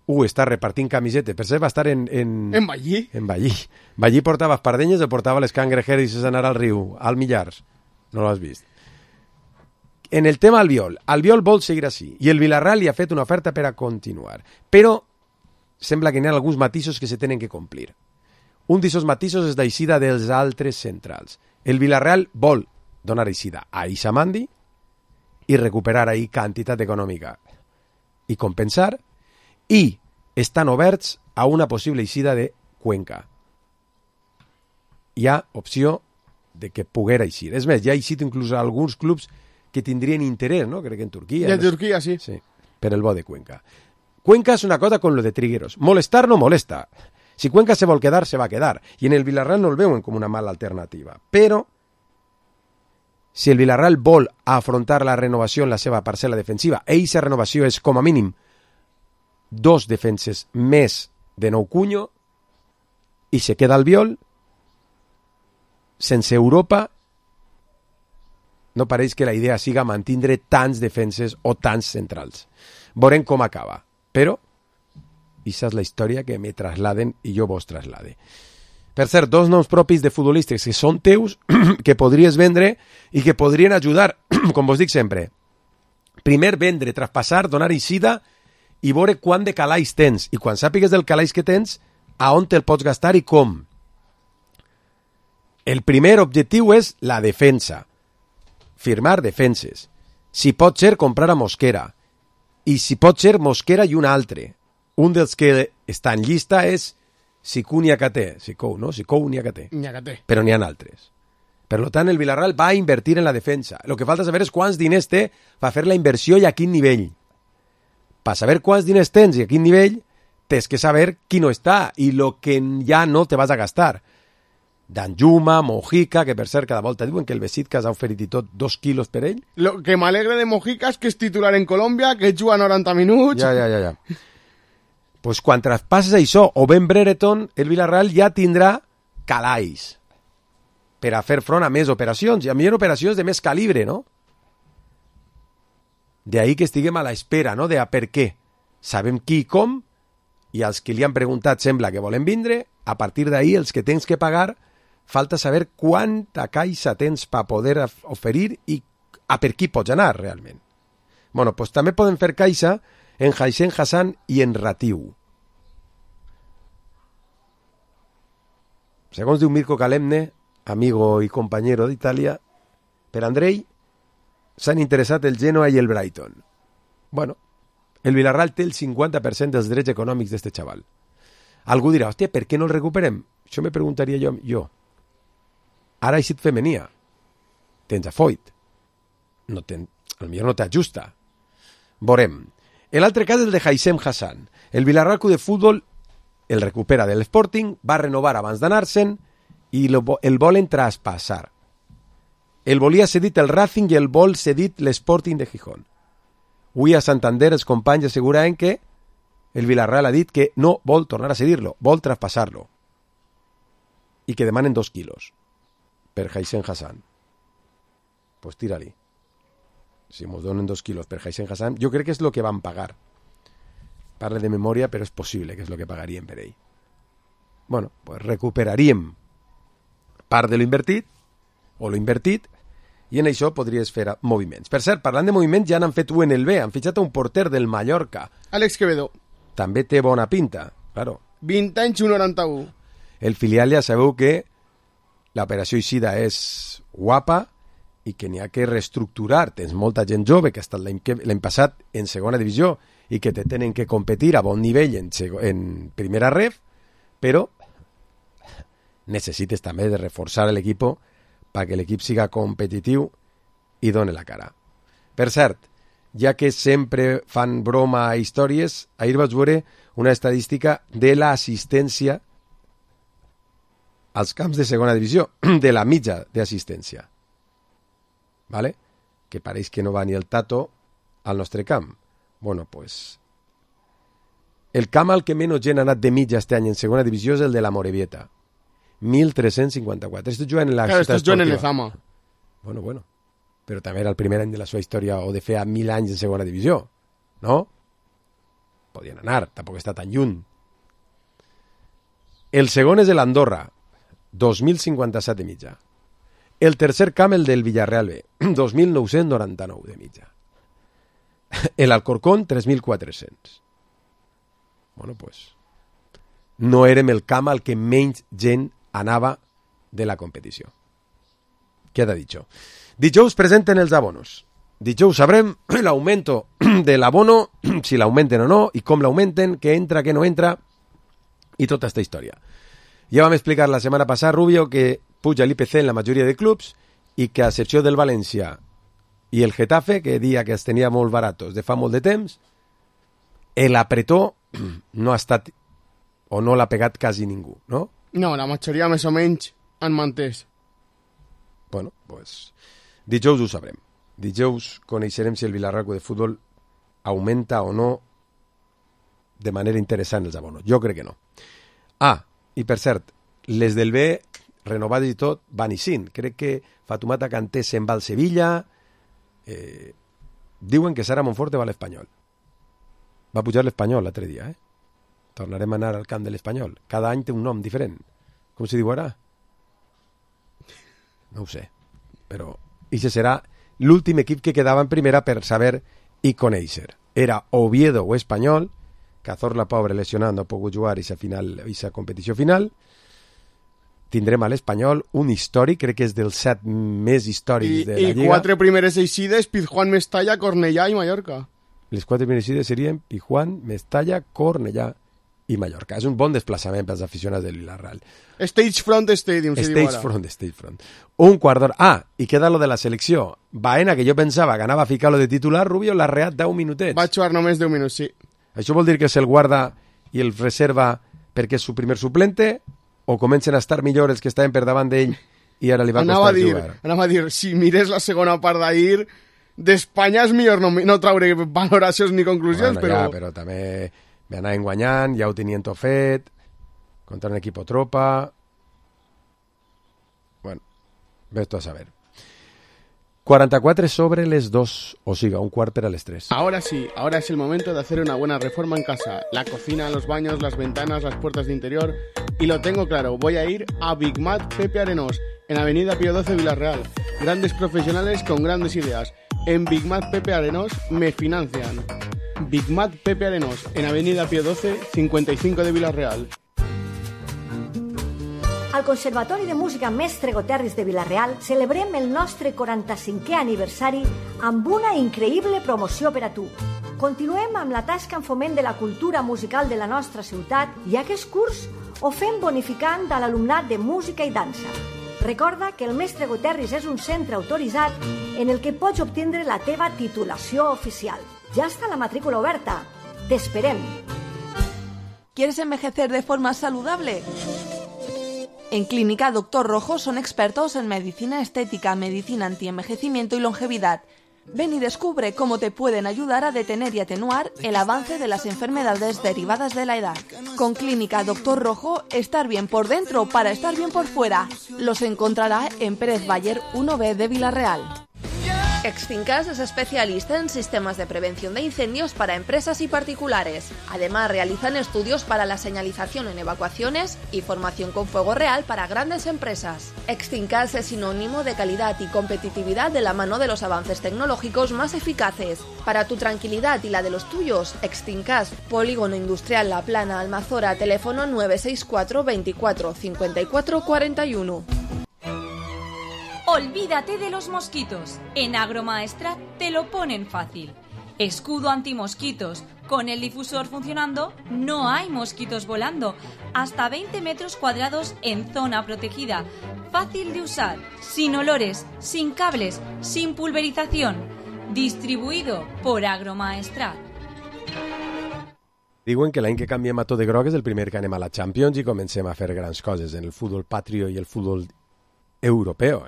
Està repartint camisetes. Per cert, va estar en Ballí. En Ballí. Ballí portava espardenyes o portava les cangrejeres i anar al riu, al Millars. No l'has vist. En el tema Albiol vol seguir així. I el Villarreal li ha fet una oferta per a continuar. Però sembla que n'hi ha alguns matisos que se tenen que complir. Un d'aquests matisos és l'eixida dels altres centrals. El Villarreal vol donar eixida a Isamandi i recuperar ahí quantitat econòmica i compensar, i estan oberts a una possible eixida de Cuenca. Hi ha opció de que poguera eixir. És més, hi ha eixit inclús a alguns clubs que tindrien interès, no? Crec que en Turquia. I en Turquia, sí. Sí, per el bo de Cuenca. Cuenca és una cosa con lo de Trigueros. Molestar no molesta. Si Cuenca se vol quedar, se va a quedar. I en el Villarreal no el veuen com una mala alternativa. Però, si el Villarreal vol afrontar la renovació en la seva parcel·la defensiva, i aquesta renovació és, com a mínim, 2 defenses més de Nou Cunyo, i se queda Albiol, sense Europa, no pareix que la idea siga mantindre tants defenses o tants centrals. Veurem com acaba. Però, aquesta és la història que me trasladen i jo vos traslade. Per cert, 2 noms propis de futbolistes que són teus, que podries vendre i que podrien ajudar, com vos dic sempre. Primer, vendre, traspassar, donar eixida i veure quant de calaix tens. I quan sàpigues del calaix que tens, a on te'l pots gastar i com. El primer objectiu és la defensa. Firmar defenses. Si pot ser, comprar a Mosquera. I si pot ser, Mosquera i un altre. Un dels que està en llista és Sicou Niakate. Sicou, no? Sicou Niakate. Però n'hi ha altres. Per tant, el Villarreal va a invertir en la defensa. El que falta saber és quants diners té per fer la inversió i a quin nivell. Per saber quants diners tens i a quin nivell, tens que saber qui no està i el que ja no te vas a gastar. Danjuma, Mojica, que per cert cada volta diuen que el Besiktas ha oferit i tot 2 quilos per ell. Lo que m'alegra de Mojica és que és titular en Colòmbia, que juga 90 minuts. Ja. Pues quan traspasses això o Ben Brereton, el Villarreal ja tindrà calaix per a fer front a més operacions, i a millor operacions de més calibre, no? De ahí que estiguem a l'espera, no?, de a per què. Sabem qui i com, i els que li han preguntat sembla que volen vindre, a partir d'ahí els que tens que pagar, falta saber quanta caixa tens per poder oferir i a per qui pots anar realment. Bueno, pues també poden fer caixa en Haixen Hassan i en Ratiu. Segons diu Mirko Kalemne, amigo i companyero d'Itàlia, per Andrei s'han interessat el Genoa i el Brighton. Bueno, el Villarreal té el 50% dels drets econòmics d'este xaval. Algú dirà, hòstia, per què no el recuperem? Això me preguntaria jo. Ara ha eixit femenia. Tens a Foyt. Potser no t'ajusta. Veurem. L'altre cas és el de Haixem Hassan. El Villarreal Club de Futbol el recupera del Sporting, va renovar abans d'anar-se'n i el volen traspassar. El volia cedit el Racing i el vol cedit l'Sporting de Gijón. Avui a Santander els companys asseguraven que el Villarreal ha dit que no vol tornar a cedir-lo, vol traspassar-lo. I que demanen 2 quilos per Haixen Hassan. Pues tira-li. Si ens donen 2 quilos per Haixen Hassan, jo crec que és el que van pagar. Parle de memòria, però és possible que és el que pagaríem per ell. Bueno, pues recuperaríem part de lo invertit, o lo invertit, i en això podries fer moviments. Per cert, parlant de moviments, ja n'han fet un en el B, han fitxat un porter del Mallorca. Àlex Quevedo. També té bona pinta, claro. 20 anys, 1,91. El filial ja sabeu que l'operació eixida és guapa i que n'hi ha que reestructurar. Tens molta gent jove que ha estat l'any passat en segona divisió i que te tenen que competir a bon nivell en primera ref, però necessites també de reforçar l'equip perquè l'equip siga competitiu i doni la cara. Per cert, ja que sempre fan broma a històries, ahir vaig veure una estadística de l'assistència als camps de segona divisió, de la mitja d'assistència. ¿Vale? Que pareix que no va ni el Tato al nostre camp. Bueno, pues el camp al que menys gent ha anat de mitja este any en segona divisió és el de la Morevieta. 1354. Estos juguen en la Claro, ciutat estos juguen en esportiva. Lezama. Bueno. Però també era el primer any de la seva història o de fer 1000 anys en segona divisió, no? Podien anar, tampoc està tan lluny. El segon és l'Andorra, 2.057 de mitja. El tercer camp, el del Villarreal B, 2.999 de mitja. El Alcorcón, 3.400. Bueno, pues, no érem el camp al que menys gent anava de la competició. Queda dicho. Dijous presenten els abonos. Dijous sabrem l'augmento de l'abono, si l'augmenten o no, i com l'augmenten, què entra, què no entra, i tota aquesta història. Ja vam explicar la setmana passada, Rubio, que puja l'IPC en la majoria de clubs i que a excepció del València i el Getafe, que dia que els tenia molt baratos de fa molt de temps, l'apretó no ha estat o no l'ha pegat quasi ningú, no? No, la majoria més o menys han mantès. Bueno, pues dijous ho sabrem. Dijous coneixerem si el Villarreal Club de Futbol augmenta o no de manera interessant els abonos. Jo crec que no. Ah, i per cert, les del B, renovades i tot, van i sin. Crec que Fatoumata Kanté se'n va al Sevilla. Diuen que Sara Monforte va a l'Espanyol. Va pujar l'Espanyol l'altre dia, Tornarem a anar al camp de l'Espanyol. Cada any té un nom diferent. Com se diu ara? No ho sé. Però aquest serà l'últim equip que quedava en primera per saber i conèixer. Era Oviedo o Espanyol. Cazorla, pobre, lesionat, no ha pogut jugar aquesta competició final. Tindrem a l'Espanyol un històric, crec que és dels 7 més històrics de la Lliga. I 4 primeres eixides, Pizjuán, Mestalla, Cornellà i Mallorca. Les 4 primeres eixides serien Pizjuán, Mestalla, Cornellà i Mallorca. És un bon desplaçament pels aficionats del Villarreal. Stagefront Stadium, se diu ara. Stagefront. Un quart d'hora. Ah, i queda lo de la selecció. Baena, que jo pensava que anava a ficar-lo de titular, Rubio l'ha reat 10 minutets. Va jugar només 10 minuts, sí. Això vol dir que se'l guarda i el reserva perquè és su primer suplente o comencen a estar millor els que estaven per davant d'ell i ara li va costar jugar? Anava a dir, si mires la segona part d'ahir, d'Espanya és millor no traure valoracions ni conclusions, bueno, però... Ja, però també me anaven guanyant, ja ho tenien tot fet, contra un equip tropa... Bueno, ves tu a saber. 44 sobre les 2, o siga, un quart per a les 3. Ahora sí, ahora es el momento de hacer una buena reforma en casa. La cocina, los baños, las ventanas, las puertas de interior. Y lo tengo claro, voy a ir a Big Mat Pepe Arenós, en Avenida Pío XII Villarreal. Grandes profesionales con grandes ideas. En Big Mat Pepe Arenós me financian. Big Mat Pepe Arenós, en Avenida Pío XII, 55 de Villarreal. Al Conservatori de Música Mestre Goterris de Vilareal celebrem el nostre 45è aniversari amb una increïble promoció per a tu. Continuem amb la tasca en foment de la cultura musical de la nostra ciutat i aquest curs ho fem bonificant a l'alumnat de música i dansa. Recorda que el Mestre Goterris és un centre autoritzat en el que pots obtindre la teva titulació oficial. Ja està la matrícula oberta. T'esperem. ¿Quieres envejecer de forma saludable? En Clínica Dr. Rojo son expertos en medicina estética, medicina antienvejecimiento y longevidad. Ven y descubre cómo te pueden ayudar a detener y atenuar el avance de las enfermedades derivadas de la edad. Con Clínica Dr. Rojo, estar bien por dentro para estar bien por fuera. Los encontrará en Pérez Bayer 1B de Villarreal. Extincas es especialista en sistemas de prevención de incendios para empresas y particulares. Además, realizan estudios para la señalización en evacuaciones y formación con fuego real para grandes empresas. Extincas es sinónimo de calidad y competitividad de la mano de los avances tecnológicos más eficaces. Para tu tranquilidad y la de los tuyos, Extincas, Polígono Industrial La Plana, Almazora, teléfono 964 24 54 41. Olvídate de los mosquitos. En Agromaestrat te lo ponen fácil. Escudo antimosquitos. Con el difusor funcionando, no hay mosquitos volando. Hasta 20 metros cuadrados en zona protegida. Fácil de usar, sin olores, sin cables, sin pulverización. Distribuido por Agromaestrat. Diuen que l'any que canviem a tot de groc és el primer que anem a la Champions i comencem a fer grans coses en el futbol patrio i el futbol europeu,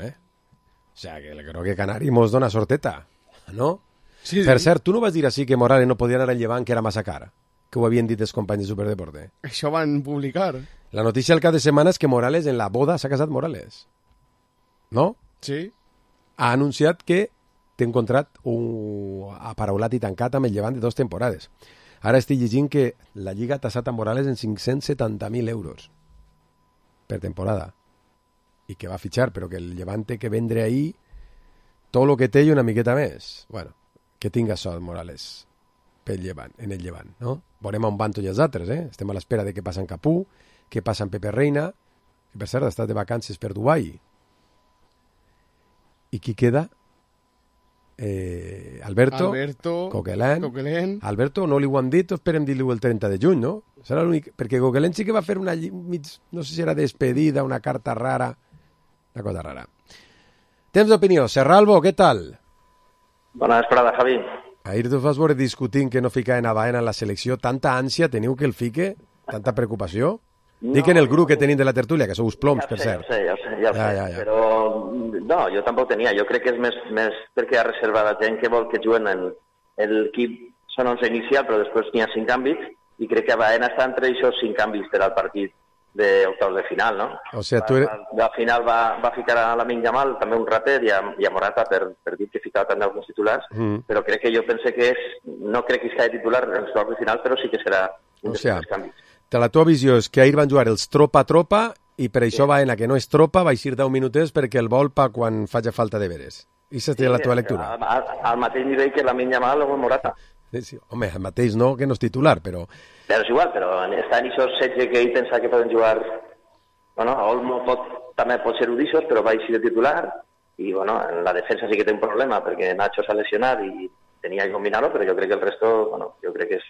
O sea, que el grogue canari mos dona sorteta, ¿no? Sí, Per sí. cert, tu no vas dir així que Morales no podia anar al Llevant, que era massa cara? que ho havien dit els companys de Superdeporte. Això van publicar. La notícia al cap de setmana és que Morales, en la boda, s'ha casat Morales. No? Sí. Ha anunciat que té un contracte aparaulat i tancat amb el Llevant de 2 temporades. Ara estic llegint que la Lliga ha tassat a Morales en 570.000 euros per temporada. I que va fitxar, però que el Llevant té que vendre ahir tot el que té i una miqueta més. Bueno, que tinga sort Morales pel Llevant, en el Llevant, no? Veurem on van tots els altres, Estem a l'espera de què passa en Capú, què passa en Pepe Reina, que per cert ha estat de vacances per Dubai. I qui queda? Alberto Coquelin. Alberto no li ho han dit, esperem dir-li el 30 de juny, no? Serà l'únic, perquè Coquelin sí que va fer una no sé si era despedida, una carta rara, una cosa rara. Temps d'opinió. Serralbo, què tal? Bona vesprada, Javi. Ahir tu vas veure discutint que no fica en Baena en la selecció. Tanta ànsia teniu que el fique? Tanta preocupació? No, dic en el grup que tenim de la tertúlia, que sou uns ploms, per cert. Ja ho sé. Però no, jo tampoc tenia. Jo crec que és més perquè hi ha reservada gent que vol que juguen en l'equip. Són 11 inicial, però després n'hi ha 5 canvis, i crec que Baena està entre aquests 5 canvis per al partit d'octaus de final, no? O sea, tu eres... Al final va ficar a Lamine Yamal, també un rater, i a Morata per dir que ficava també alguns titulars, però crec que jo pense que no crec que sigui titular en els octaus de final, però sí que serà un dels canvis. La teva visió és que ahir van jugar els tropa-tropa i per això Baena, que no és tropa, va eixir 10 minutets perquè el vol pa quan faci falta de veres. I aquesta és la teva lectura. Al mateix nivell que Lamine Yamal o Morata. Sí. Home, el mateix no, que no és titular, però... Però és igual, però està en aquests 16 que ell pensa que poden jugar... Bueno, Olmo també pot ser udixos, però va eixir de titular, i bueno, en la defensa sí que té un problema, perquè Nacho s'ha lesionat i tenia que combinar-ho, però jo crec que el resto, bueno, jo crec que és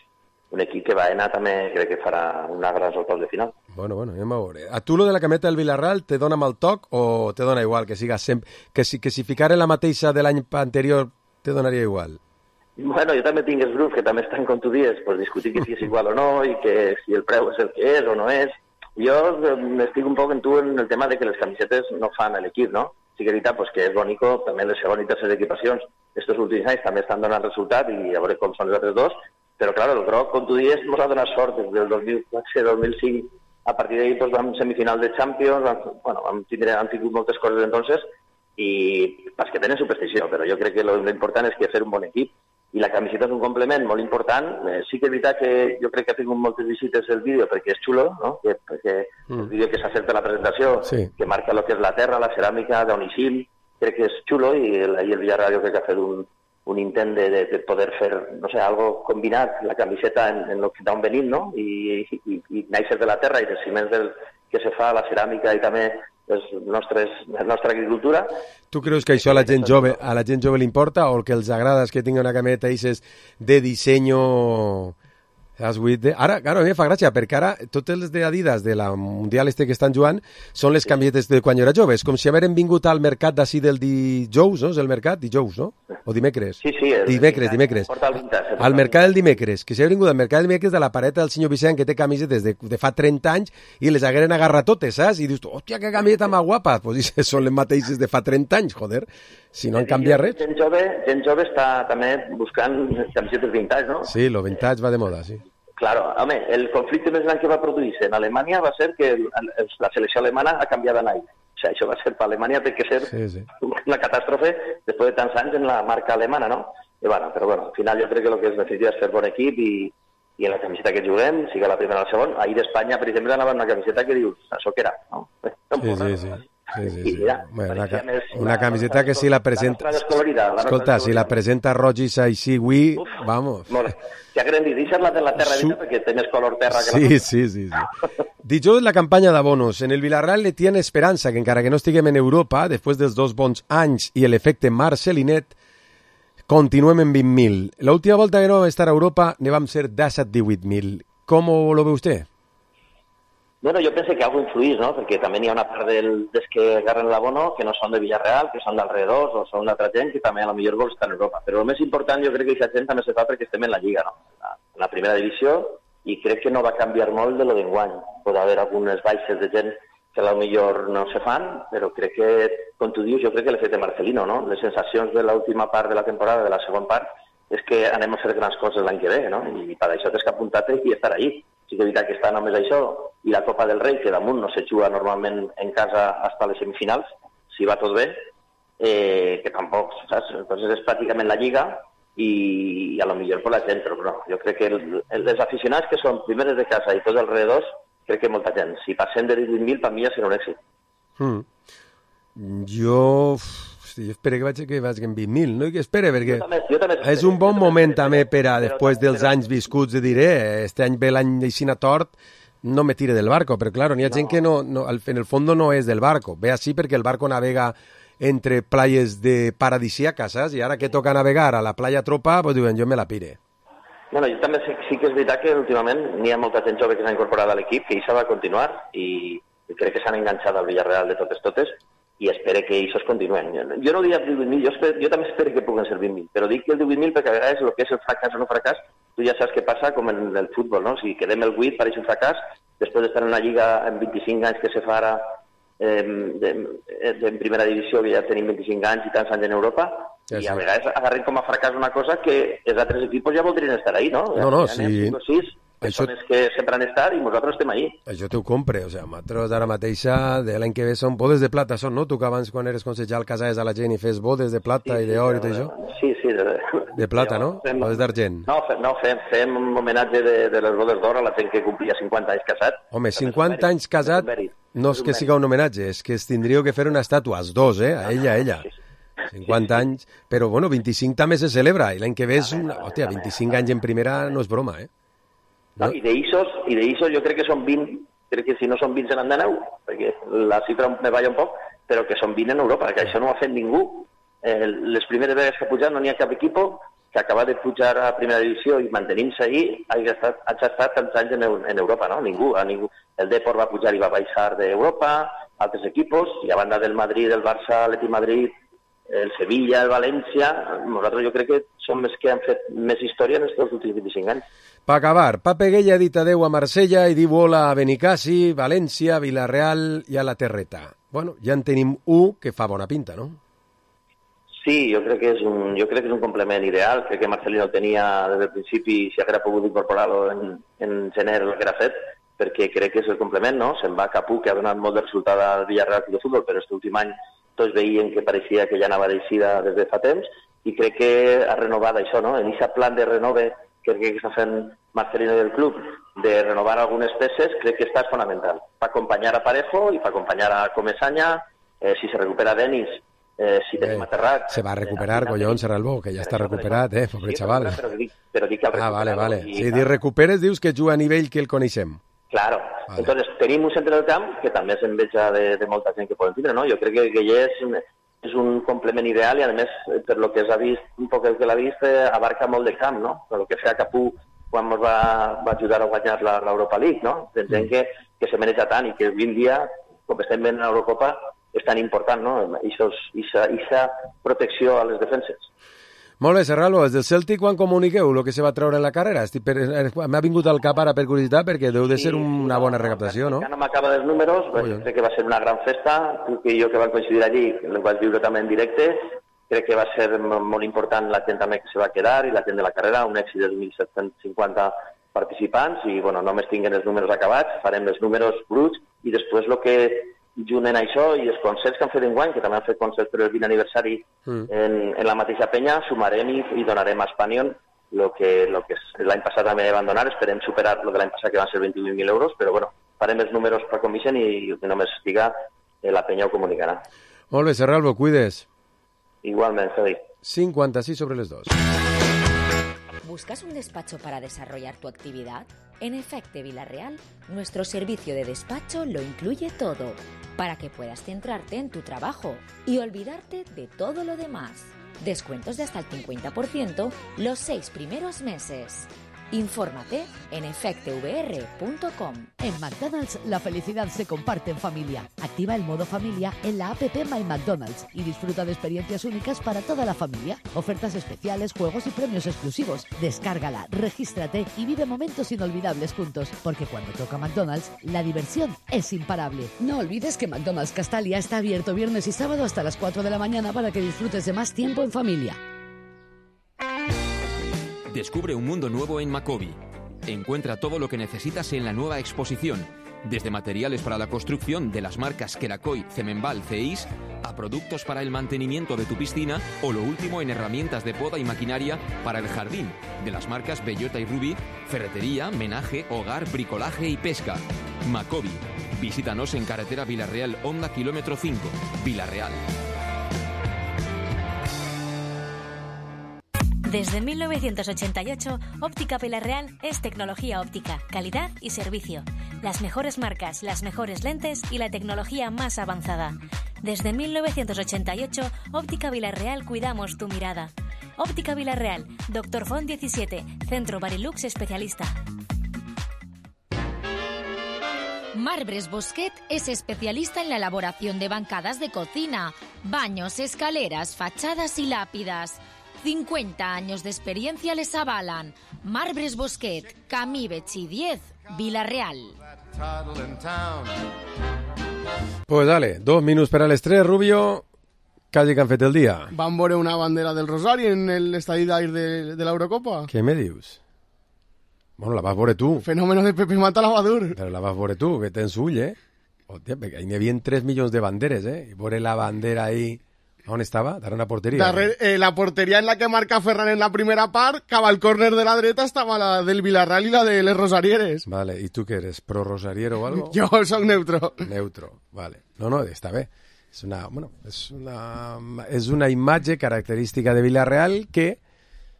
un equip que Baena també crec que farà una gran octaus de final. Bueno, anem a veure. A tu lo de la cameta del Villarreal te dona mal toc o te dona igual, que siga sempre... que si ficara la mateixa de l'any anterior te donaria igual? Bueno, jo també tinc els grups que també estan com tu dies, pues discutir que si és igual o no i que si el preu és el que és o no és. Jo estic un poc en tu en el tema de que les camisetes no fan l'equip, no? Sí que és veritat pues, que és bonico, també les segones i terceres equipacions estos últims anys també estan donant resultat i a veure com són els altres dos, però clar, el groc, com tu dies, ens ha donat sort des del 2005, a partir d'ahir pues, vam semifinal de Champions, han tingut moltes coses entonces i pas que tenen superstició, però jo crec que l'important és que fer un bon equip i la camiseta és un complement molt important. Sí que és veritat que jo crec que ha tingut moltes visites el vídeo perquè és xulo, no? Perquè el vídeo que s'ha fet per la presentació, que marca el que és la terra, la ceràmica d'Onisim, crec que és xulo i el Villarreal jo crec que ha fet un intent de poder fer, no sé, algo combinat, la camiseta en d'on venim, no? I néixer de la terra i dels ciments que se fa, la ceràmica i també la nostra agricultura. Tu creus que això a la gent jove li importa o el que els agrada és que tingui una cameta de disseny? Ara, claro, a mi em fa gràcia, perquè ara tots els d'Adidas de la Mundial que estan jugant són les camisetes de quan jo era jove. És com si hagueren vingut al mercat d'ací del dijous, no? És el mercat? Dijous, no? O dimecres? Sí. Dimecres. Al mercat del dimecres. Que si hagueren vingut al mercat del dimecres de la pareta del senyor Vicent, que té camisetes de fa 30 anys, i les hagueren agarrat totes, saps? I dius, hòstia, que camiseta més guapa. Pues són les mateixes de fa 30 anys, joder. Si no han canviat res. Gent jove està també buscant camisetes vintage, no? Sí, lo vintage va de moda, sí. Claro, home, el conflicte més gran que va produir-se en Alemanya va ser que la selecció alemana ha canviat d'any. O sigui, això va ser per Alemanya, té que ser una catàstrofe després de tants anys en la marca alemana, no? I bueno, però bueno, al final jo crec que el que es necessita és fer bon equip i en la camiseta que juguem, siga la primera o la segona. Ahir d'Espanya, per exemple, anava una camiseta que dius, això què era, no? Sí. Bueno, una camiseta que si la presenta... Escolta, si la presenta Rogis així, avui, vamos... Si hagueren dit, deixar la de la terra dita perquè té més color terra que la... Sí. Dijous la campanya d'abonos. En el Villarreal le tiene esperança que encara que no estiguem en Europa, després dels 2 bons anys i l'efecte Marcelinet, continuem en 20.000. L'última volta que no vam estar a Europa ne vam ser 17-18.000. Com lo ve usted? Bueno, jo penso que algo influís, no? Perquè també hi ha una part dels que agarren l'abono que no són de Villarreal, que són d'alrededors o són d'altra gent que també a lo millor vols estar en Europa. Però el més important jo crec que aquesta gent també se fa perquè estem en la Lliga, no? En la primera divisió, i crec que no va canviar molt de lo d'enguany. Pot haver algunes baixes de gent que a lo millor no se fan, però crec que, com tu dius, jo crec que l'efecte Marcelino, no? Les sensacions de l'última part de la temporada, de la segona part, és que anem a fer grans coses l'any que ve, no? I per això tens que apuntar-te i estar allí. Sí que és veritat que està només això i la Copa del Rei, que damunt no se juga normalment en casa fins a les semifinals, si va tot bé, que tampoc, saps? Entonces és pràcticament la Lliga i a lo millor per la gent, però no. Jo crec que els aficionats que són primeres de casa i tots els alrededors, crec que molta gent. Si passem de 18.000, per mi ja serà un èxit. Jo espero que vagi en 20.000, no? I que espere, perquè jo també és un bon moment també per a, després dels anys viscuts, de dir, este any ve l'any d'Ixina tort, no me tire del barco, però claro, n'hi ha gent que no, en el fondo no és del barco, ve així perquè el barco navega entre playas de paradisíacas, saps? I ara que toca navegar a la playa Tropa, pues diuen, jo me la pire. Bueno, jo també sí que és veritat que últimament n'hi ha molta gent jove que s'ha incorporat a l'equip, que això va continuar, i crec que s'han enganxat al Villarreal de totes, i espero que això es continuen. Jo no diria 18.000, jo també espero que puguen ser 20.000, però dic que el 18.000 perquè a vegades el que és el fracàs o no fracàs, tu ja saps què passa com en el futbol, no? Si quedem el 8 pareix un fracàs, després d'estar en una lliga en 25 anys que se fa ara en primera divisió, que ja tenim 25 anys i tants anys en Europa, i a vegades agarrem com a fracàs una cosa que els altres equipos ja voldrien estar ahí, no? No, sí. Persones que sempre han estat i nosaltres estem ahí. Això t'ho compre, o sigui, nosaltres ara mateixa de l'any que ve són bodes de plata, són, no? Tu que abans quan eres consellal casaves a la gent i fes bodes de plata i d'or i tot això? Sí. De plata, no? Bodes d'argent. No, fem un homenatge de les bodes d'or a la gent que complia 50 anys casat. Home, 50 anys casat no és que siga un homenatge, és que es tindríeu que fer una estàtua, els dos, a ella. 50 anys, però bueno, 25 també se celebra, i l'any que ve és una... Hòstia, 25 anys en primera no és broma, No? I d'Ixos jo crec que són 20, crec que si no són 20 se n'han de 9, perquè la xifra me balla un poc, però que són 20 en Europa, que això no ho ha fet ningú. Les primeres vegades que ha pujat no n'hi ha cap equip que acaba de pujar a primera divisió i mantenint-se allí hagi estat tants anys en Europa, no? Ningú. El Depor va pujar i va baixar d'Europa, altres equipos, i a banda del Madrid, el Barça, l'Atlètic Madrid, el Sevilla, el València, nosaltres jo crec que som els que han fet més història en els últims 25 anys. Per acabar, Pape Gueye ha dit adeu a Marsella i diu hola a Benicassi, València, Villarreal i a la Terreta. Bueno, ja en tenim un que fa bona pinta, no? Sí, jo crec que és un complement ideal. Crec que Marcelino el tenia des del principi i si haguera pogut incorporar-lo en gener el que era fet, perquè crec que és el complement, no? Se'n va Capú, que ha donat molt de resultat al Villarreal de futbol, però aquest últim any tots veien que pareixia que ja anava d'eixida des de fa temps, i crec que ha renovat això, no? En aquest plan de renove que crec que està fent Marcelino del club, de renovar algunes peces, crec que està fonamental. Per acompanyar a Parejo i per acompanyar a Comesaña, si se recupera Denis, si tenim a Terrat... Se va a recuperar, collons, Serralbó, que ja està recuperat, pobre xaval. Però dic que vale. Si dius recuperes, dius que juga a nivell que el coneixem. Claro. Vale. Entonces, tenim un centre del camp que també és enveja de molta gent que poden tindre, no? Jo crec que Gueye és un complement ideal i, a més, per lo que s'ha vist, un poc el que l'ha vist, abarca molt de camp, no? Per lo que feia Capú quan ens va ajudar a guanyar l'Europa League, no? Gent que se maneja tant i que avui en dia, com estem veient en l'Eurocopa, és tan important, no? Ixa protecció a les defenses. Molt bé, Serralbo, des del Celtic quan comuniqueu el que se va treure en la carrera? M'ha vingut al cap ara per curiositat perquè deu de ser una bona recaptació, no? Ja no m'acaba dels números, crec que va ser una gran festa, tu i jo que vam coincidir allí, el vaig viure també en directe, crec que va ser molt important la gent també que se va quedar i la gent de la carrera, un èxit de 1.750 participants i, bueno, només tinguem els números acabats, farem els números bruts i després el que junt en això i els concerts que han fet enguany, que també han fet concerts per el 20 aniversari en la mateixa penya, sumarem i donarem a Espanyol el que l'any passat també van donar, esperem superar el de l'any passat que van ser 28.000 euros, però bueno, farem els números per convicient i només estiga la penya ho comunicarà. Molt bé, Serralbo, cuides. Igualment, Fede. 56 sobre les 2. ¿Buscas un despacho para desarrollar tu actividad? En Efecte Villarreal, nuestro servicio de despacho lo incluye todo, para que puedas centrarte en tu trabajo y olvidarte de todo lo demás. Descuentos de hasta el 50% los 6 primeros meses. Infórmate en efectevr.com. En McDonald's la felicidad se comparte en familia. Activa el modo familia en la app My McDonald's y disfruta de experiencias únicas para toda la familia. Ofertas especiales, juegos y premios exclusivos. Descárgala, regístrate y vive momentos inolvidables juntos. Porque cuando toca McDonald's, la diversión es imparable. No olvides que McDonald's Castalia está abierto viernes y sábado hasta las 4 de la mañana para que disfrutes de más tiempo en familia. Descubre un mundo nuevo en Macobi. Encuentra todo lo que necesitas en la nueva exposición, desde materiales para la construcción de las marcas Kerakoy, Cemenbal, Ceis, a productos para el mantenimiento de tu piscina o lo último en herramientas de poda y maquinaria para el jardín, de las marcas Bellota y Ruby, ferretería, menaje, hogar, bricolaje y pesca. Macobi. Visítanos en carretera Villarreal, Honda kilómetro 5, Villarreal. Desde 1988, Óptica Villarreal es tecnología óptica, calidad y servicio. Las mejores marcas, las mejores lentes y la tecnología más avanzada. Desde 1988, Óptica Villarreal cuidamos tu mirada. Óptica Villarreal, Dr. Font 17, Centro Barilux especialista. Marbres Bosquet es especialista en la elaboración de bancadas de cocina, baños, escaleras, fachadas y lápidas. 50 años de experiencia les avalan. Marbres Bosquet, Camí Betxí 10, Villarreal. Pues dale, 2 minuts per a les 3, Rubio. Calli que han fet el dia. Van veure una bandera del Rosari en el estadi d'air de l'Eurocopa. Què me dius? Bueno, la vas veure tu. Fenómeno de Pepe Mata Lavadur. Però la vas veure tu, que tens ull, Hòstia, perquè hi havia 3 milions de banderes, I veure la bandera ahí... On estava? Darrere una porteria. La porteria en la que marca Ferran en la primera part, cava el córner de la dreta, estava la del Villarreal i la de les Rosarieres. Vale, i tu què eres? ¿Pro Rosariero o algo? Jo soc neutro. Neutro, vale. No, està bé. És una imatge característica de Villarreal que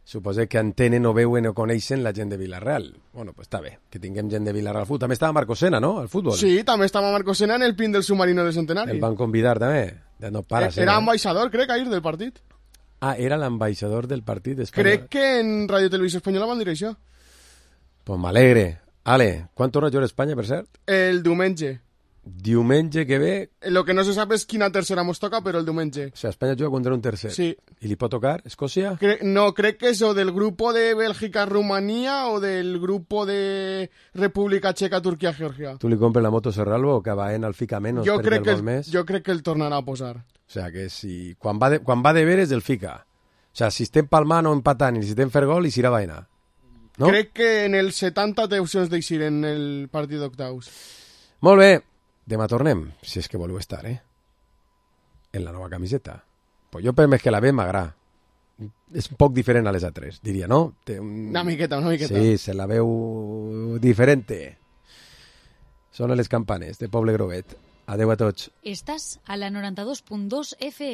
suposo que entenen o veuen o coneixen la gent de Villarreal. Bueno, pues està bé, que tinguem gent de Villarreal al futbol. També estava Marco Sena, no?, al futbol. Sí, també estava Marco Sena en el pin del submarino de Centenari. El van convidar també. No para, era ambaixador, crec, ahir del partit. Ah, era l'ambaixador del partit espanyol. Crec que en Radio Televisió Espanyola van dir això. Pues m'alegre. Ale, quan torna a jugar a Espanya, per cert? El diumenge. Diumenge que ve... Lo que no se sap és quina tercera mos toca, però el diumenge. O sea, Espanya juga contra un tercer. Sí. I li pot tocar Escòcia? No, crec que és o del grupo de Bélgica-Rumanía o del grupo de República Checa-Turquia-Georgia. Tu li compres la moto Serralbo o que va en el fica menos jo per el gol més? Jo crec que el tornarà a posar. O sea, que si... Quan va de veres, el fica. O sea, si estem palmant o empatant i si estem fer gol, i s'irà vaina. No? Crec que en el 70 té opcions d'eixir en el partit d'octaus. Molt bé. Demà tornem, si és que voleu estar, en la nova camiseta. Pues jo per més que la ve m'agrada. És un poc diferent a les altres, diria, no? Té una miqueta. Sí, se la veu diferente. Sonen les campanes de Poble Groguet. Adeu a tots. Estàs a la 92.2 FM.